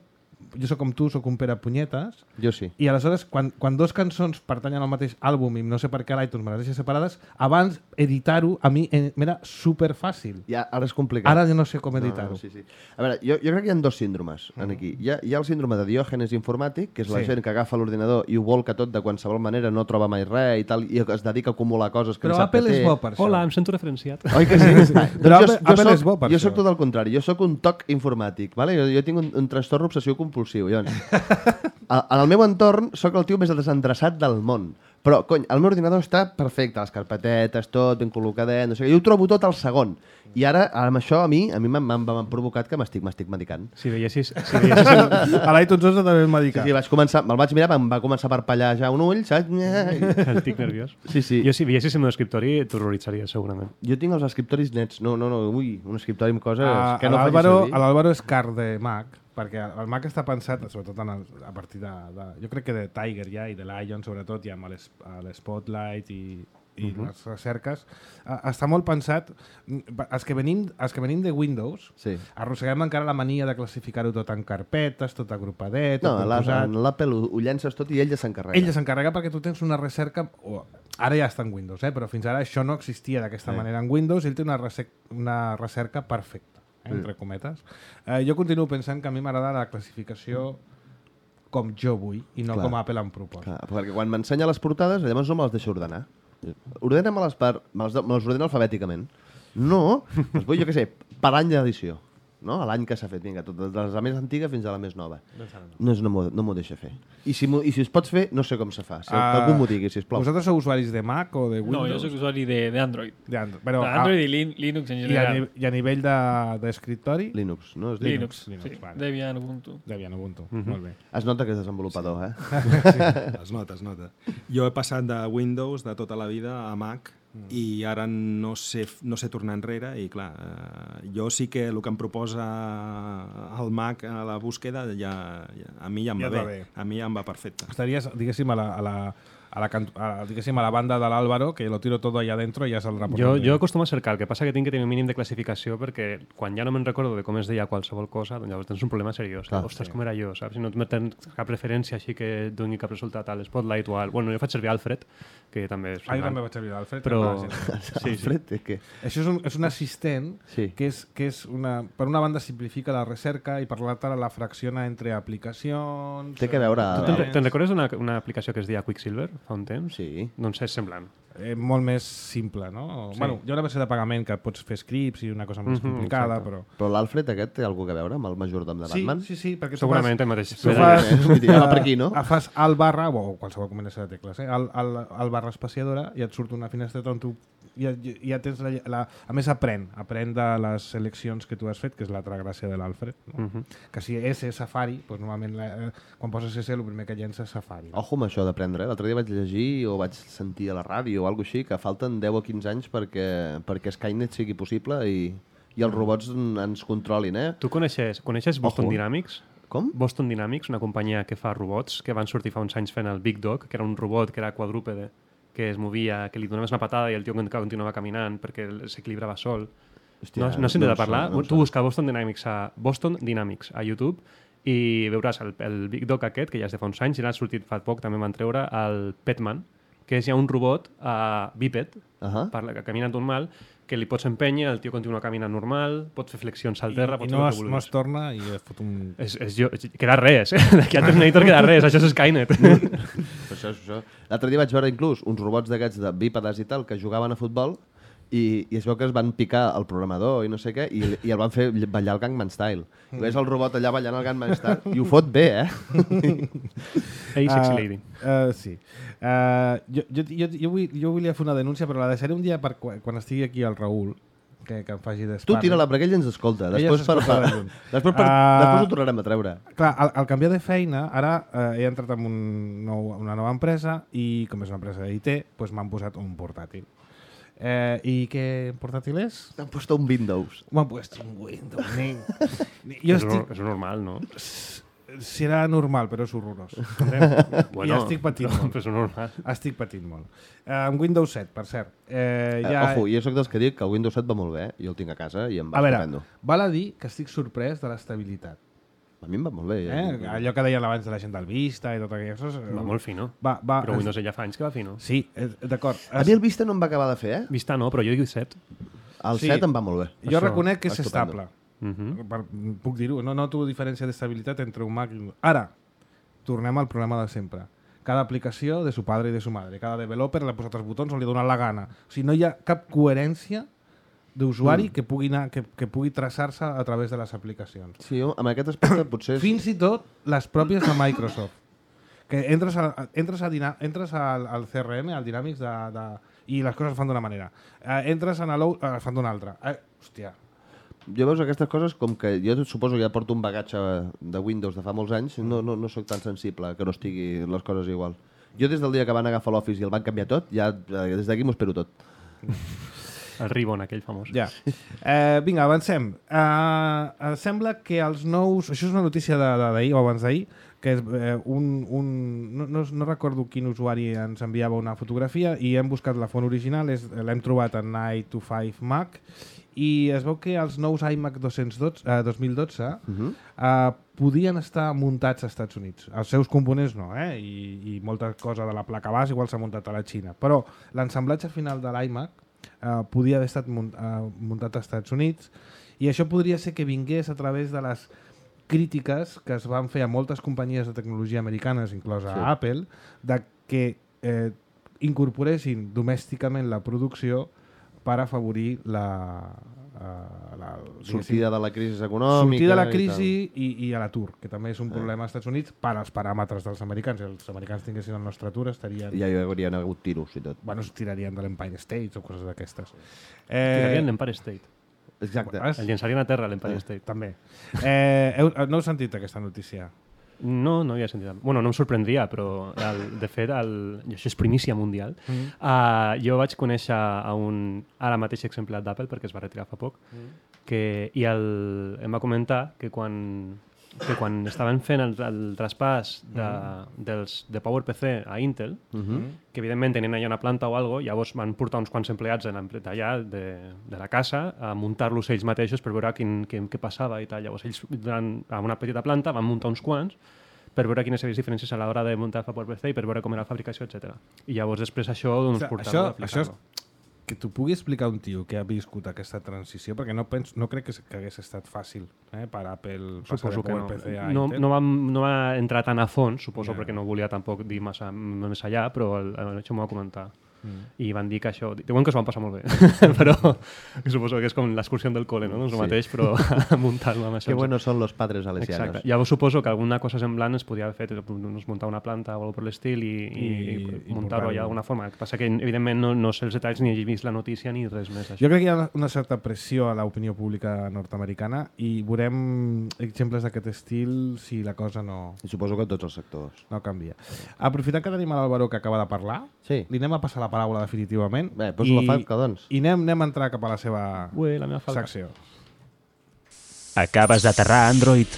com tu, soc un Pere Punyetes. Jo sí. I aleshores, quan 2 cançons pertanyen al mateix àlbum i no sé per què l'iTunes me les deixa separades, abans editar-ho a mi m'era superfàcil. Ja, ara és complicat. Ara ja no sé com editar-ho. Sí. A veure, jo crec que hi ha 2 síndromes aquí. Hi ha el síndrome de Diògenes informàtic, que és la gent que agafa l'ordinador i ho volca tot de qualsevol manera, no troba mai res i tal, i es dedica a acumular coses que però no sap que té. Però Apple és bo per això. Hola, em sento referenciat. Oi que sí? Però Apple és bo per això. Jo soc tot el contrari. Jo soc un toc informàtic. Vale? Jo tinc un trastorn obsessiu compulsiu. En el meu entorn sóc el tio més desendreçat del món. Però, cony, el meu ordinador està perfecte, les carpetetes, tot ben col·locadet, no sé què. Jo ho trobo tot al segon. I ara, amb això, a mi m'han provocat que m'estic medicant. Si veiessis... A l'iTunes 11 també em medicar. Sí, me'l vaig mirar, em va començar a parpallar ja un ull, saps? El tic nerviós. Sí. Jo, si veiessis el meu escriptori, t'horroritzaria, segurament. Jo tinc els escriptoris nets. No, ui, un escriptori amb coses que no faig servir. L'Álvaro és car de Mac, perquè el Mac està pensat, sobretot a partir de... Jo crec que de Tiger ja, i de Lion, sobretot, ja amb l'Spotlight i les recerques, està molt pensat... Els que venim de Windows, arrosseguem encara la mania de classificar-ho tot en carpetes, tot agrupadet, tot composat... No, l'Apple ho llences tot i ell ja s'encarrega. Ell ja s'encarrega perquè tu tens una recerca... Ara ja està en Windows, però fins ara això no existia d'aquesta manera en Windows, i ell té una recerca perfecta, entre cometes. Jo continuo pensant que a mi m'agrada la classificació com jo vull i no com Apple em proposa. Perquè quan m'ensenya les portades, llavors no me les deixa ordenar. Ordena-me-les me les ordena alfabèticament. No, doncs vull, jo què sé, per any d'edició. No? L'any que s'ha fet, vinga, de la més antiga fins a la més nova. No m'ho deixa fer. I si es pots fer, no sé com se fa. Si algú m'ho digui, sisplau. Vosaltres sou usuaris de Mac o de Windows? No, jo soc usuari d'Android. Android i Linux en general. I a nivell d'escriptori? Linux, no? És Linux, sí. Debian, Ubuntu. Molt bé. Es nota que és desenvolupador, Es nota. Jo he passat de Windows de tota la vida a Mac i ara no sé tornar enrere i clar, jo sí que el que em proposa el Mac a la búsqueda a mi ja em va bé. A mi ja em va perfecte. Estaries, diguéssim, a la banda de l'Álvaro, que lo tiro todo allá adentro i ja saldrà por jo acostumo a cercar, el que passa que tinc que tenir un mínim de classificació perquè quan ja no me'n recordo de com es deia qualsevol cosa, doncs llavors tens un problema seriós. Ostres, com era jo, saps? Si no tens cap referència així que doni cap resultat a l'Spotlight o al... Bueno, jo faig servir Alfred, que també és... Jo també vaig servir Alfred. Però... Alfred, què? Això és un assistent que és per una banda simplifica la recerca i per l'altra la fracciona entre aplicacions... Té que veure... Te'n recordes d'una aplicació que es deia Quicksilver fa un temps? Sí. Doncs és semblant. Molt més simple, no? Sí. Bueno, hi ha una versió de pagament que pots fer scripts i una cosa més complicada, però... Però l'Alfred aquest té alguna a veure amb el majordom de Batman? Sí, perquè segurament el mateix. Tu fas per aquí, no? Fas alt barra, o qualsevol combinació de tecles, alt barra espaciadora i et surt una finestreta on tu ja tens a més aprèn de les seleccions que tu has fet, que és l'altra gràcia de l'Alfred, no? Que si és Safari, doncs normalment quan poses S el primer que llença és Safari. Ojo amb això d'aprendre. L'altre dia vaig llegir o vaig sentir a la ràdio o alguna cosa així, que falten 10 o 15 anys perquè Skynet sigui possible i els robots ens controlin, Tu coneixes Boston Dynamics? Com? Boston Dynamics, una companyia que fa robots, que van sortir fa uns anys fent el Big Dog, que era un robot que era quadrúpede que es movia, que li donaves una patada i el tio continuava caminant perquè s'equilibrava sol. Hòstia, No has sentit no a parlar? em sona. Tu busca Boston Dynamics a YouTube i veuràs el Big Dog aquest, que ja és de fa uns anys, i n'ha sortit fa poc, també van treure el Petman, que és ja un robot bíped, que camina normal, que li pots empènyer, el tio continua caminant normal, pots fer flexions al terra, I no es torna i es fot un... Queda res, d'aquí al Terminator queda res, això és Skynet. Això. L'altre dia vaig veure inclús uns robots d'aquests de bípedes i tal que jugaven a futbol i es veu que es van picar el programador i no sé què i el van fer ballar el Gangnam Style. I ves el robot allà ballant el Gangnam Style i ho fot bé, Hey, sexy lady. Sí. Jo volia fer una denúncia, però la deixaré un dia per quan estigui aquí el Raül, que em faci d'esparri. Tu tira-la, perquè ell ens escolta. Després ho tornarem a treure. Clar, al canviar de feina, ara he entrat en una nova empresa i, com és una empresa d'IT, doncs m'han posat un portàtil. ¿Y qué portátil es? Te han puesto un Windows. Me han puesto un Windows. És normal, no? Serà normal, però és horrorós. Bueno, I estic patint molt. Però és normal. Estic patint molt. Amb Windows 7, per cert. Ojo, jo soc dels que dic que el Windows 7 va molt bé, jo el tinc a casa i em va estupendo. A veure, val a dir que estic sorprès de l'estabilitat. A mi em va molt bé. Allò que deien abans de la gent del Vista i tot aquelles coses... Va molt fino. Però Windows ja fa anys que va fino. Sí, d'acord. A mi el Vista no em va acabar de fer, Vista no, però jo dic 7. El 7 em va molt bé. Jo reconec que és estable. Puc dir-ho, no noto diferència d'estabilitat entre un Mac i un... Ara, tornem al problema de sempre. Cada aplicació de su padre i de su madre. Cada developer l'ha posat els botons on li ha donat la gana. O sigui, no hi ha cap coherència d'usuari que pugui traçar-se a través de les aplicacions. Sí, amb aquest aspecte potser... Fins i tot les pròpies de Microsoft. Que entres al CRM, al Dynamics, i les coses fan d'una manera. Entres en l'Out, fan d'una altra. Hòstia. Jo veus aquestes coses com que jo suposo que ja porto un bagatge de Windows de fa molts anys, no soc tan sensible que no estigui les coses igual. Jo des del dia que van agafar l'Office i el van canviar tot, ja des d'aquí m'ho espero tot. El Ribbon, aquell famós. Ja. Vinga, avancem. Sembla que els nous... Això és una notícia d'ahir o abans d'ahir, que és no recordo quin usuari ens enviava una fotografia i hem buscat la font original, l'hem trobat en i25 Mac i es veu que els nous iMac 2012 podien estar muntats als Estats Units. Els seus components no, i molta cosa de la placa base igual s'ha muntat a la Xina. Però l'ensamblatge final de l'iMac podia haver estat muntat als Estats Units i això podria ser que vingués a través de les crítiques que es van fer a moltes companyies de tecnologia americanes, inclosa Apple, de que incorporessin domèsticament la producció per afavorir la sortida de la crisi econòmica. Sortida de la crisi i a l'atur, que també és un problema als Estats Units per als paràmetres dels americans. Si els americans tinguessin el nostre atur estarien... Ja hi haurien hagut tiros i tot. Bueno, es tirarien de l'Empire State o coses d'aquestes. Tirarien l'Empire State. Exacte. El llançarien a terra l'Empire State. També. No heu sentit aquesta notícia? No havia sentit. Bueno, no em sorprendria, però de fet, això és primícia mundial. Jo vaig conèixer ara mateix exemplar d'Apple, perquè es va retirar fa poc, i em va comentar que quan estaven fent el traspàs de PowerPC a Intel, que evidentment tenien allà una planta o alguna cosa, llavors van portar uns quants empleats d'allà, de la casa, a muntar-los ells mateixos per veure què passava i tal. Llavors ells, a una petita planta, van muntar uns quants per veure quines eren les diferències a l'hora de muntar el PowerPC i per veure com era la fabricació, etc. I llavors després això portar-lo a aplicar-lo. Que t'ho pugui explicar un tio que ha viscut aquesta transició, perquè no crec que hagués estat fàcil per Apple passar de PowerPC a Intel. No va entrar tan a fons, suposo, perquè no volia tampoc dir massa més allà, però això m'ho va comentar. I van dir que això... Diuen que s'ho van passar molt bé, però suposo que és com l'excursió del col·le, no? Doncs el mateix, però muntar-lo amb això. Que buenos son los padres salesianos. Exacte. Llavors suposo que alguna cosa semblant es podia haver fet, muntar una planta o alguna per l'estil i muntar-ho allà d'alguna forma. El que passa que, evidentment, no sé els detalls ni he vist la notícia ni res més. Jo crec que hi ha una certa pressió a l'opinió pública nord-americana i veurem exemples d'aquest estil si la cosa no... I suposo que tots els sectors. No canvia. Aprofitant que tenim a l'Álvaro que acaba de parlar, li anem a passar la paraula definitivament. Bé, poso la falca, doncs. I anem a entrar cap a la seva secció. Acabes d'aterrar, Android?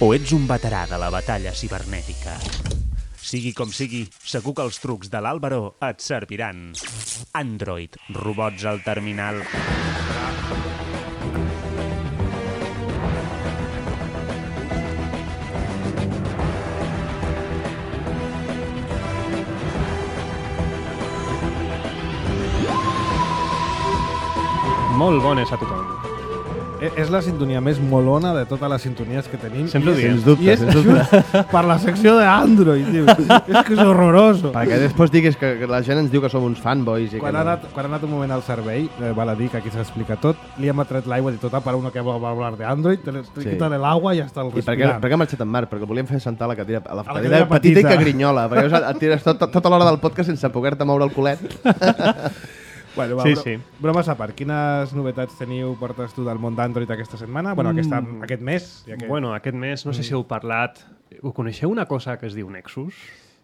O ets un veterà de la batalla cibernètica? Sigui com sigui, segur que els trucs de l'Àlvaro et serviran. Android, robots al terminal. Molt bones a tothom. És la sintonia més molona de totes les sintonies que tenim. Sempre ho diem. Sens dubte, I és just per la secció d'Android, tio. És que és horroroso. Perquè després diguis que la gent ens diu que som uns fanboys. I Quan que ha anat un moment al servei, val a dir que aquí s'explica tot, li hem atret l'aigua i tot, para uno que va hablar de Android, quítale l'aigua i ja està el I per què respirant. ha marxat en Marc? Perquè el volíem fer sentar a la cadira cadira petita i petita. que grinyola. Perquè et tires tota l'hora del podcast sense poder-te moure el culet. Bueno, va, Sí. bromes a part, quines novetats portes tu del món d'Android aquesta setmana? Bueno, aquest mes. Ja que... Bueno, aquest mes, no sé si heu parlat... Ho coneixeu una cosa que es diu Nexus?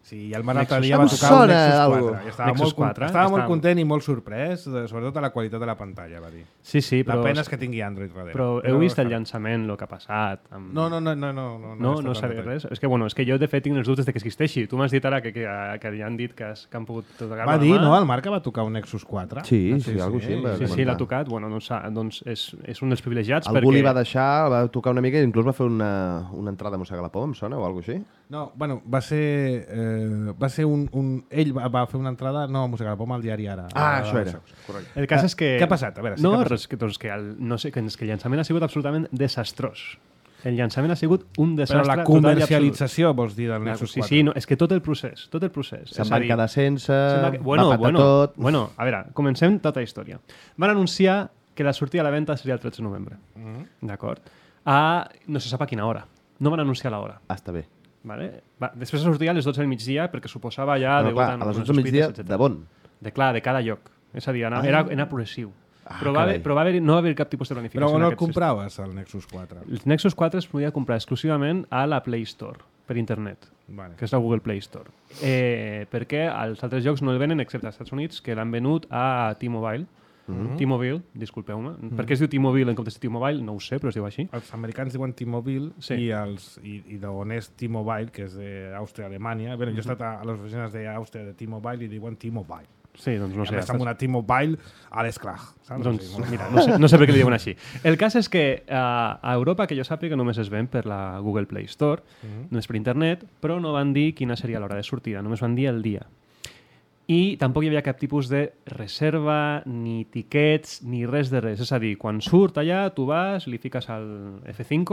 Sí, i el Marc Nexus. dia va Em tocar sona un Nexus 4. algo. I estava, Nexus molt, 4, estava molt estava- content i molt sorprès, sobretot de la qualitat de la pantalla, va dir. Sí, sí, La però... pena és que tingui Android darrere. Però heu vist el llançament, el que ha passat? Amb... No. No sabia res. És que, bueno, és que jo, de fet, tinc els dubtes de que existeixi. Tu m'has dit ara que ja han dit que han pogut tocar Va dir, no? El Marc que va tocar un Nexus 4. Sí, algo així. em va Sí, comentar. l'ha tocat. Bueno, doncs és un dels privilegiats Algú perquè... li va deixar, va tocar una mica i inclús va fer una entrada a mossegar la por, em sona, o alguna cosa així? No, bueno, va ser un... Ell va fer una entrada, no, a Mossegar la Poma al diari Ara. Això era. Correcte. El cas és que... Què ha passat? A veure, sí, no, què ha passat? res, doncs que el llançament ha sigut absolutament desastrós. El llançament ha sigut un desastre Però la total i absolut. comercialització, vols dir, del Nexus 4? Sí, no, és que tot el procés. Se'n van quedar sense, Bueno, va patar tot... bueno, a veure, comencem tota la història. Van anunciar que la sortida a la venda seria el 13 de novembre. D'acord? No se sap a quina hora. No van anunciar l'hora. Està bé. Vale? Després sortia a les 12 del migdia perquè suposava ja... Bueno, clar, a les 12 del migdia, de bon. De cada lloc. És a dir, era progressiu. Però no va haver cap tipus de planificació. Però on en el aquest compraves, el Nexus 4? El Nexus 4 es podia comprar exclusivament a la Play Store, per internet, Vale. que és la Google Play Store. Perquè els altres jocs no el venen, excepte als Estats Units, que l'han venut a T-Mobile. T-Mobile, disculpeu-me. Per què es diu T-Mobile en comptes de T-Mobile? No ho sé, però es diu així. Els americans diuen T-Mobile Sí. i d'on és T-Mobile, que és d'Àustria, Alemanya. Bé, jo he estat a les oficines d'Àustria de T-Mobile i diuen T-Mobile. Sí, doncs no I sé. a més amb una T-Mobile a l'esclac. Doncs, mira, no sé per què li diuen així. El cas és que a Europa, que jo sàpiga, només es ven per la Google Play Store, només per internet, però no van dir quina seria l'hora de sortida, només van dir el dia. I tampoc hi havia cap tipus de reserva, ni tiquets, ni res de res. És a dir, quan surt allà, tu vas, li fiques al F5,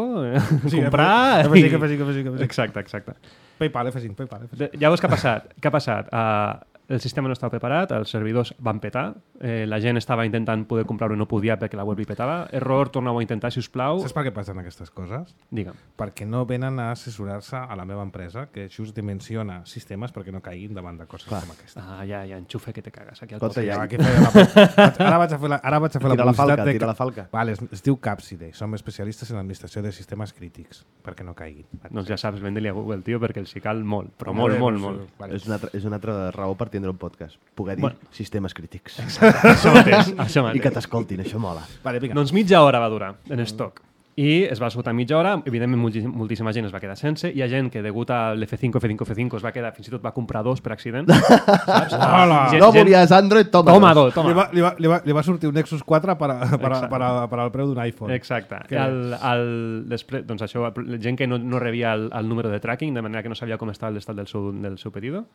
comprar... F5. Exacte. PayPal, F5, PayPal. Llavors, què ha passat? El sistema no estava preparat, els servidors van petar, la gent estava intentant poder comprar-ho i no podia perquè la web li petava. Error, torneu a intentar, si us plau. Saps per què passen aquestes coses? Digue'm. Perquè no venen a assessorar-se a la meva empresa, que just dimensiona sistemes perquè no caiguin davant de coses com aquesta. Ja, enxufe que te cagues aquí al Escolta, costat. ja, Aquí feia ara vaig a fer la Tira la publicitat falca, de... tira la falca. Vale, es diu Capside. Som especialistes en l'administració de sistemes crítics, perquè no caiguin. Doncs ja saps, vende-li a Google, tio, perquè els hi cal molt, però molt. Vale. És una altra raó per tindre un podcast. Poder dir sistemes crítics. Això mateix. I que t'escoltin, això mola. Vale, vinga. Doncs mitja hora va durar en stock. I es va esgotar mitja hora, evidentment moltíssima gent es va quedar sense, hi ha gent que degut a l'F5 es va quedar, fins i tot va comprar dos per accident. Saps? Hola! No volies Android, toma dos. Toma. Li va sortir un Nexus 4 per al preu d'un iPhone. Exacte. Després, doncs això, la gent que no rebia el número de tracking, de manera que no sabia com estava l'estat del seu pedido.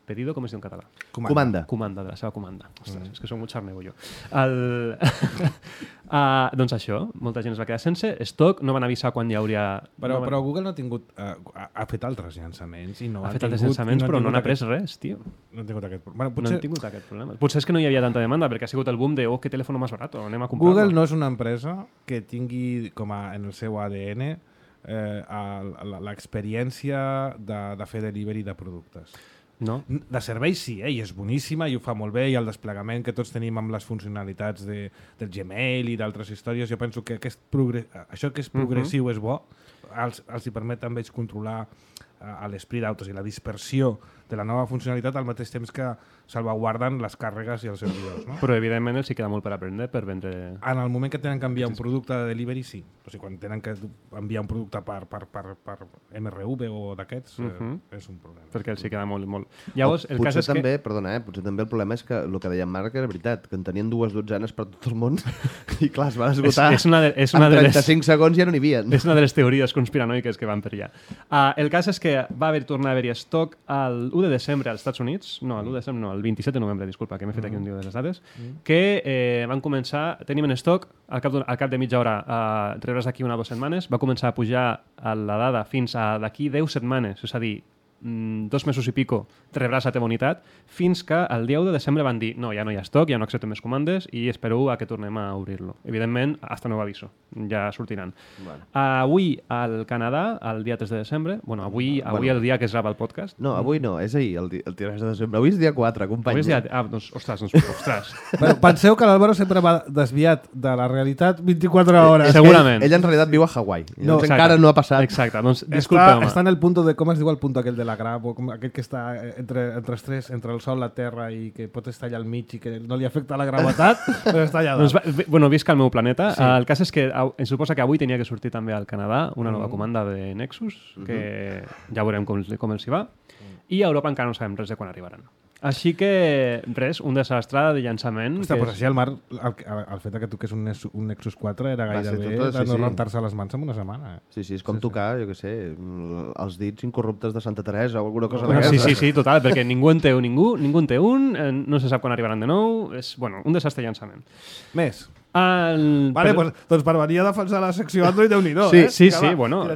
Pedido, com es diu en català? Comanda. Comanda, de la seva comanda. Ostres, és que soc molt xarnego jo. Doncs això, molta gent es va quedar sense stock, no van avisar quan hi hauria... Però Google no ha tingut... ha fet altres llançaments i no ha fet altres llançaments, però no n'ha pres res, tio. No han tingut aquest problema. No han tingut aquest problema. Potser és que no hi havia tanta demanda, perquè ha sigut el boom de que telèfon més barat, anem a comprar-lo. Google no és una empresa que tingui en el seu ADN l'experiència de fer delivery de productes. No? De serveis sí, i és boníssima i ho fa molt bé, i el desplegament que tots tenim amb les funcionalitats del Gmail i d'altres històries, jo penso que això que és progressiu és bo, els hi permet també controlar a l'esprit out, o sigui, la dispersió de la nova funcionalitat al mateix temps que salvaguarden les càrregues i els servidors. No? Però evidentment els hi queda molt per aprendre per vendre... En el moment que tenen que enviar un producte de delivery, sí. O sigui, quan tenen que enviar un producte per MRV o d'aquests, és un problema. Perquè els hi queda molt, molt... Llavors, el cas és també, que... Perdona, potser també el problema és que el que deia en Marc era veritat, que en tenien 2 dotzenes per tot el món i clar, es van esgotar és una en 35 segons ja no n'hi havia. És una de les teories conspiranoiques que van per allà. El cas és que va tornar a haver-hi estoc el 1 de desembre als Estats Units, el 27 de novembre, disculpa, que m'he fet aquí un dia de les dades, que van començar, tenim en estoc, al cap de mitja hora, rebràs d'aquí 1 o 2 setmanes, va començar a pujar la dada fins a d'aquí 10 setmanes, és a dir, 2 mesos i pico rebràs la teva unitat, fins que el 10 de desembre van dir no, ja no hi ha estoc, ja no acceptem més comandes i espero a que tornem a obrir-lo. Evidentment, hasta nuevo aviso, ja sortiran. Bueno. Avui al Canadà, el dia 3 de desembre, avui el dia que es grava el podcast. No, avui no, és ahir, el 3 de desembre. Avui és dia 4, company. Ostres. Bueno, penseu que l'Álvaro sempre va desviat de la realitat 24 hores. Segurament. Ell en realitat viu a Hawaii. Encara no ha passat. Exacte, doncs disculpeu-me. Està en el punt de, com es diu el punt aquell de la grava, aquell que està entre els tres, entre el sol, la terra i que pot estar allà al mig i que no li afecta la gravetat, però està allà dalt. Visc al meu planeta. Sí. El cas és que em suposa que avui tenia que sortir també al Canadà una nova comanda de Nexus, que ja veurem com els hi va, i a Europa encara no sabem res de quan arribaran. Així que, res, un desastre de llançament. Hòstia, doncs així el Marc, el fet que toqués un Nexus 4 era gairebé de no rentar-se les mans en una setmana. Sí, és com tocar, jo què sé, els dits incorruptes de Santa Teresa o alguna cosa d'aquesta. Sí, total, perquè ningú en té un, no se sap quan arribaran de nou, és, un desastre de llançament. Més. Doncs per venir a defensar la secció Android, Déu-n'hi-do. Sí,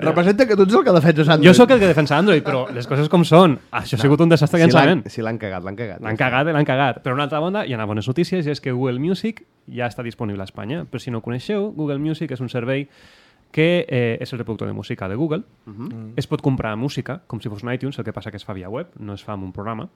representa que tu ets el que defenses Android. Jo sóc el que defensa Android, però les coses com són. Això ha sigut un desastre de llançament. Si l'han cagat. L'han cagat. Però una altra banda, hi ha bones notícies, i és que Google Music ja està disponible a Espanya. Per si no ho coneixeu, Google Music és un servei que és el reproductor de música de Google. Es pot comprar música, com si fos un iTunes, el que passa que es fa via web, no es fa amb un programa.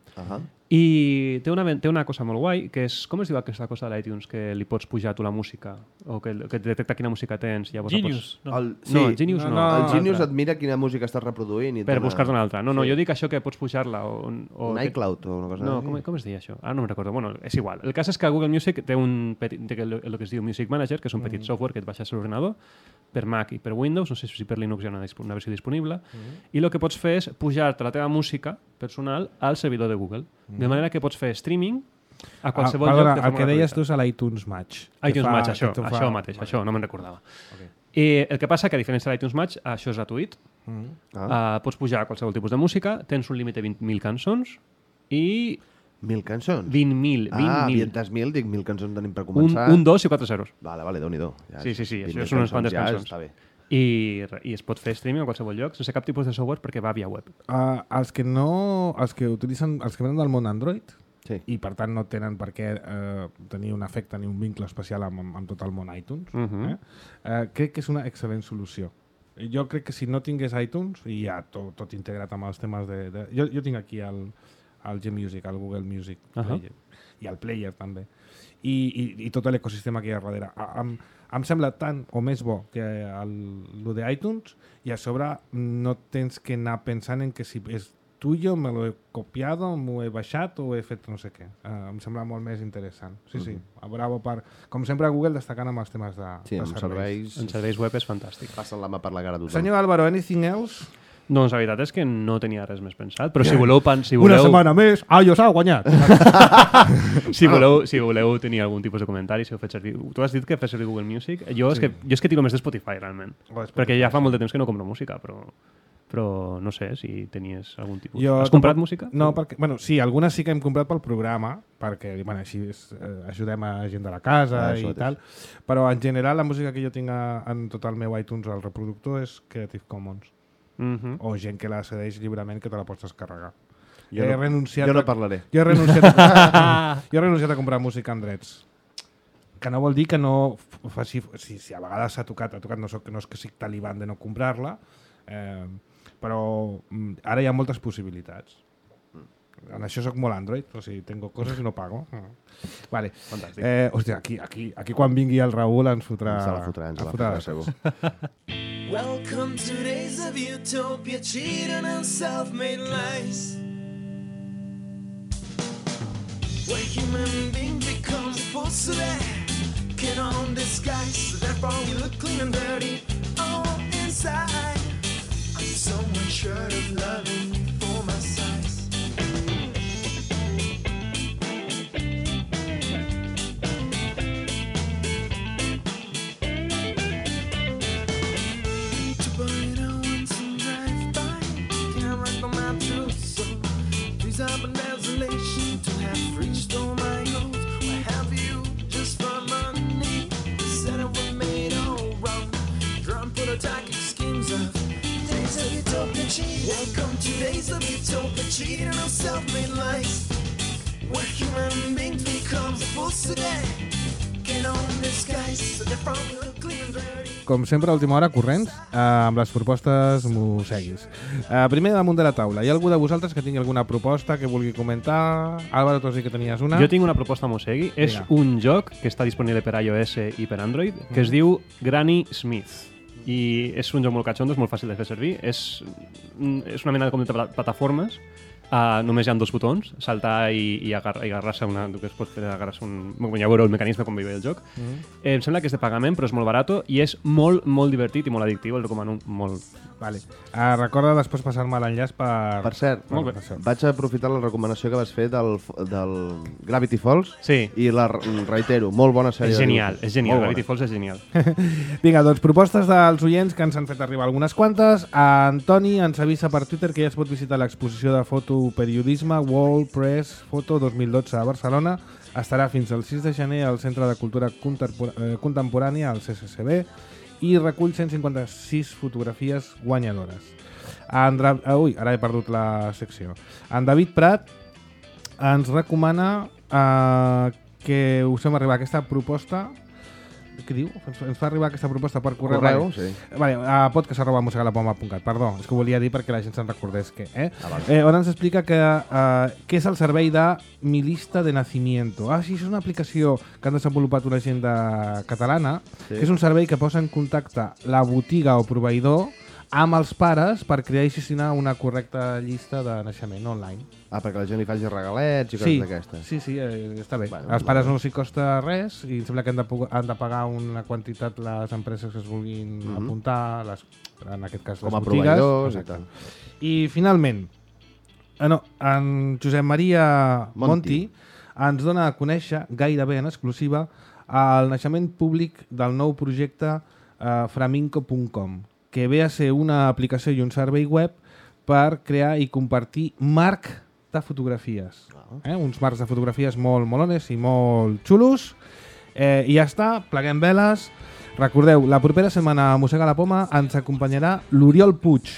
I té una cosa molt guai, que és, com es diu aquesta cosa de l'iTunes, que li pots pujar tu la música, o que detecta quina música tens. Genius. El Genius no. El Genius et mira quina música estàs reproduint. Per buscar-te una altra. No, jo dic això que pots pujar-la. Un iCloud o una cosa així. No, com es deia això? Ara no me'n recordo. És igual. El cas és que Google Music té el que es diu Music Manager, que és un petit software que et baixes a l'ordinador, per Mac i per Windows, no sé si per Linux hi ha una versió disponible, i el que pots fer és pujar-te la teva música personal al servidor de Google. De manera que pots fer streaming a qualsevol lloc de forma gratuïta. El que deies tu és a l'iTunes Match. iTunes Match, això mateix, això, no me'n recordava. I el que passa que, a diferència de l'iTunes Match, això és gratuït. Pots pujar qualsevol tipus de música, tens un límit de 20.000 cançons i... 1.000 cançons? 20.000. 20.000, dic 1.000 cançons tenim per començar. Un 2 i 4 zeros. Vale, Déu-n'hi-do. Sí, això són unes quantes cançons. I es pot fer streaming a qualsevol lloc sense cap tipus de software perquè va via web. Els que venen del món Android i per tant no tenen per què tenir un efecte ni un vincle especial amb tot el món iTunes, crec que és una excel·lent solució. Jo crec que si no tingués iTunes i ja tot integrat amb els temes de... Jo tinc aquí el Gmusic, el Google Music Player, i el Player també, i tot l'ecosistema que hi ha darrere. Em sembla tant o més bo que el d'iTunes, i a sobre no tens que anar pensant en que si és tuyo, me lo he copiado, m'ho he baixat o he fet no sé què. Em sembla molt més interessant. Sí. Bravo per... Com sempre, Google destacant amb els temes de serveis. En serveis web és fantàstic. Passen la mà per la cara a tothom. Senyor Álvaro, anything else? Doncs la veritat és que no tenia res més pensat, però si voleu... Una setmana més, iOS ha guanyat! Si voleu tenir algun tipus de comentari, si heu fet servir... Tu has dit que fes servir Google Music? Jo és que tiro més de Spotify, realment. Perquè ja fa molt de temps que no compro música, però no sé si tenies algun tipus... Has comprat música? No, perquè... Sí, algunes sí que hem comprat pel programa, perquè així ajudem a gent de la casa i tal, però en general la música que jo tinc en tot el meu iTunes al reproductor és Creative Commons. O gent que la cedeix lliurement que te la pots descarregar. Jo no parlaré. Jo he renunciat a comprar música amb drets. Que no vol dir que no faci... Si a vegades s'ha tocat, no és que sigui taliban de no comprar-la, però ara hi ha moltes possibilitats. En això soc molt Android, o sigui, tengo coses i no pago. Vale. Fantàstic. Hòstia, aquí quan vingui el Raül ens fotrà... Ens la fotrà, segur. Welcome to days of utopia, cheating and self-made lies. Where human beings become fools so they can own disguise. So therefore we look clean and dirty all inside. I'm so unsure of loving you for my size. To burn out once and drive by, can't write on my true soul. Trees up in desolation to have reached all my goals. Why have you just for money? Said it was made all wrong. Drum prototypic schemes of days of utopia cheating. Welcome to days of utopia cheating on self-made lies. Where human beings become fools today. Can own disguise, so they're from clean and dirty. Com sempre, a última hora, corrents, amb les propostes mosseguis. Primer, damunt de la taula. Hi ha algú de vosaltres que tingui alguna proposta que vulgui comentar? Álvaro, tu sí que tenies una. Jo tinc una proposta mosegui. És un joc que està disponible per iOS i per Android, que es diu Granny Smith. I és un joc molt catxondo, és molt fàcil de fer servir. És una mena de plataformes. Només hi ha 2 botons, saltar i agarrar-se una... Tu que es pot fer agarrar-se un... Ja veureu el mecanisme com veureu el joc. Em sembla que és de pagament, però és molt barat i és molt, molt divertit i molt addictiu. El recomano molt. Vale. Recorda després passar-me l'enllaç per... Per cert, Molt bé. vaig aprofitar la recomanació que vas fer del Gravity Falls i la reitero, molt bona sèrie. És genial. Gravity Falls és genial. Vinga, doncs propostes dels oients que ens han fet arribar algunes quantes. Antoni ens avisa per Twitter que ja es pot visitar l'exposició de fotoperiodisme World Press Photo 2012 a Barcelona. Estarà fins al 6 de gener al Centre de Cultura Contemporània, al CCCB, i recull 156 fotografies guanyadores. Ara he perdut la secció. En David Prat ens recomana que us fem arribar aquesta proposta. Què diu? Ens fa arribar aquesta proposta per correu. Sí. Vale, a podcast@musegalapoma.cat. Perdó, és que ho volia dir perquè la gent se'n recordés que... on ens explica que què és el servei de Mi Lista de Nacimiento. Sí, és una aplicació que han desenvolupat una gent catalana, que és un servei que posa en contacte la botiga o proveïdor amb els pares per crear i gestionar una correcta llista de naixement online. Perquè la gent li faci regalets i coses d'aquestes. Sí, està bé. Bueno, als pares no s'hi costa res i em sembla que han de pagar una quantitat les empreses que es vulguin apuntar, en aquest cas les com a botigues. Proveïdors i tal. I finalment, en Josep Maria Monti ens dona a conèixer, gairebé en exclusiva, el naixement públic del nou projecte framinco.com, que ve a ser una aplicació i un servei web per crear i compartir marc de fotografies. Uns marcs de fotografies molt molones i molt xulos. I ja està, pleguem veles. Recordeu, la propera setmana a Mossega la Poma ens acompanyarà l'Oriol Puig,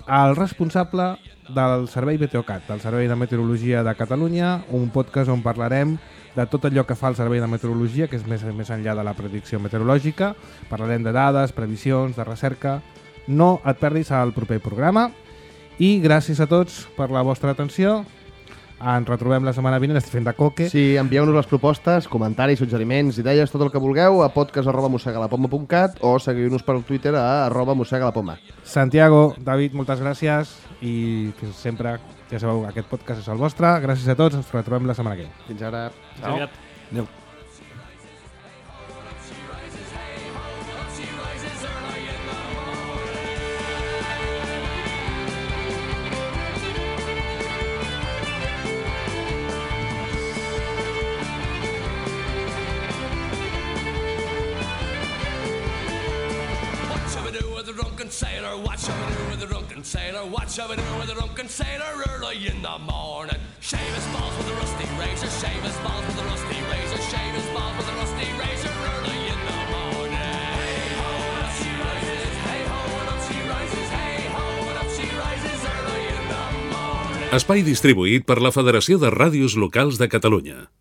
el responsable del Servei Meteocat, del Servei de Meteorologia de Catalunya, un podcast on parlarem de tot allò que fa el Servei de Meteorologia, que és més enllà de la predicció meteorològica. Parlarem de dades, previsions, de recerca. No et perdis el proper programa. I gràcies a tots per la vostra atenció. Ens retrobem la setmana vinent, estic fent de coque. Sí, envieu-nos les propostes, comentaris, suggeriments, idees, tot el que vulgueu a podcast@mossegalapoma.cat o seguiu-nos per Twitter a @mossegalapoma. Santiago, David, moltes gràcies i fins sempre. Ja sabeu, aquest podcast és el vostre. Gràcies a tots, ens retrobem la setmana que ve. Fins ara. Ciao. Adéu. Sailor, what shall we do with the drunken sailor? What shall we do with the drunken sailor early in the morning? Shave his balls with a rusty razor, shave his balls with a rusty razor, shave his balls with a rusty razor early in the morning. Hey ho, and up she rises, hey ho, and up she rises, hey ho, and up she rises early in the morning. Espai distribuït per la Federació de Ràdios Locals de Catalunya.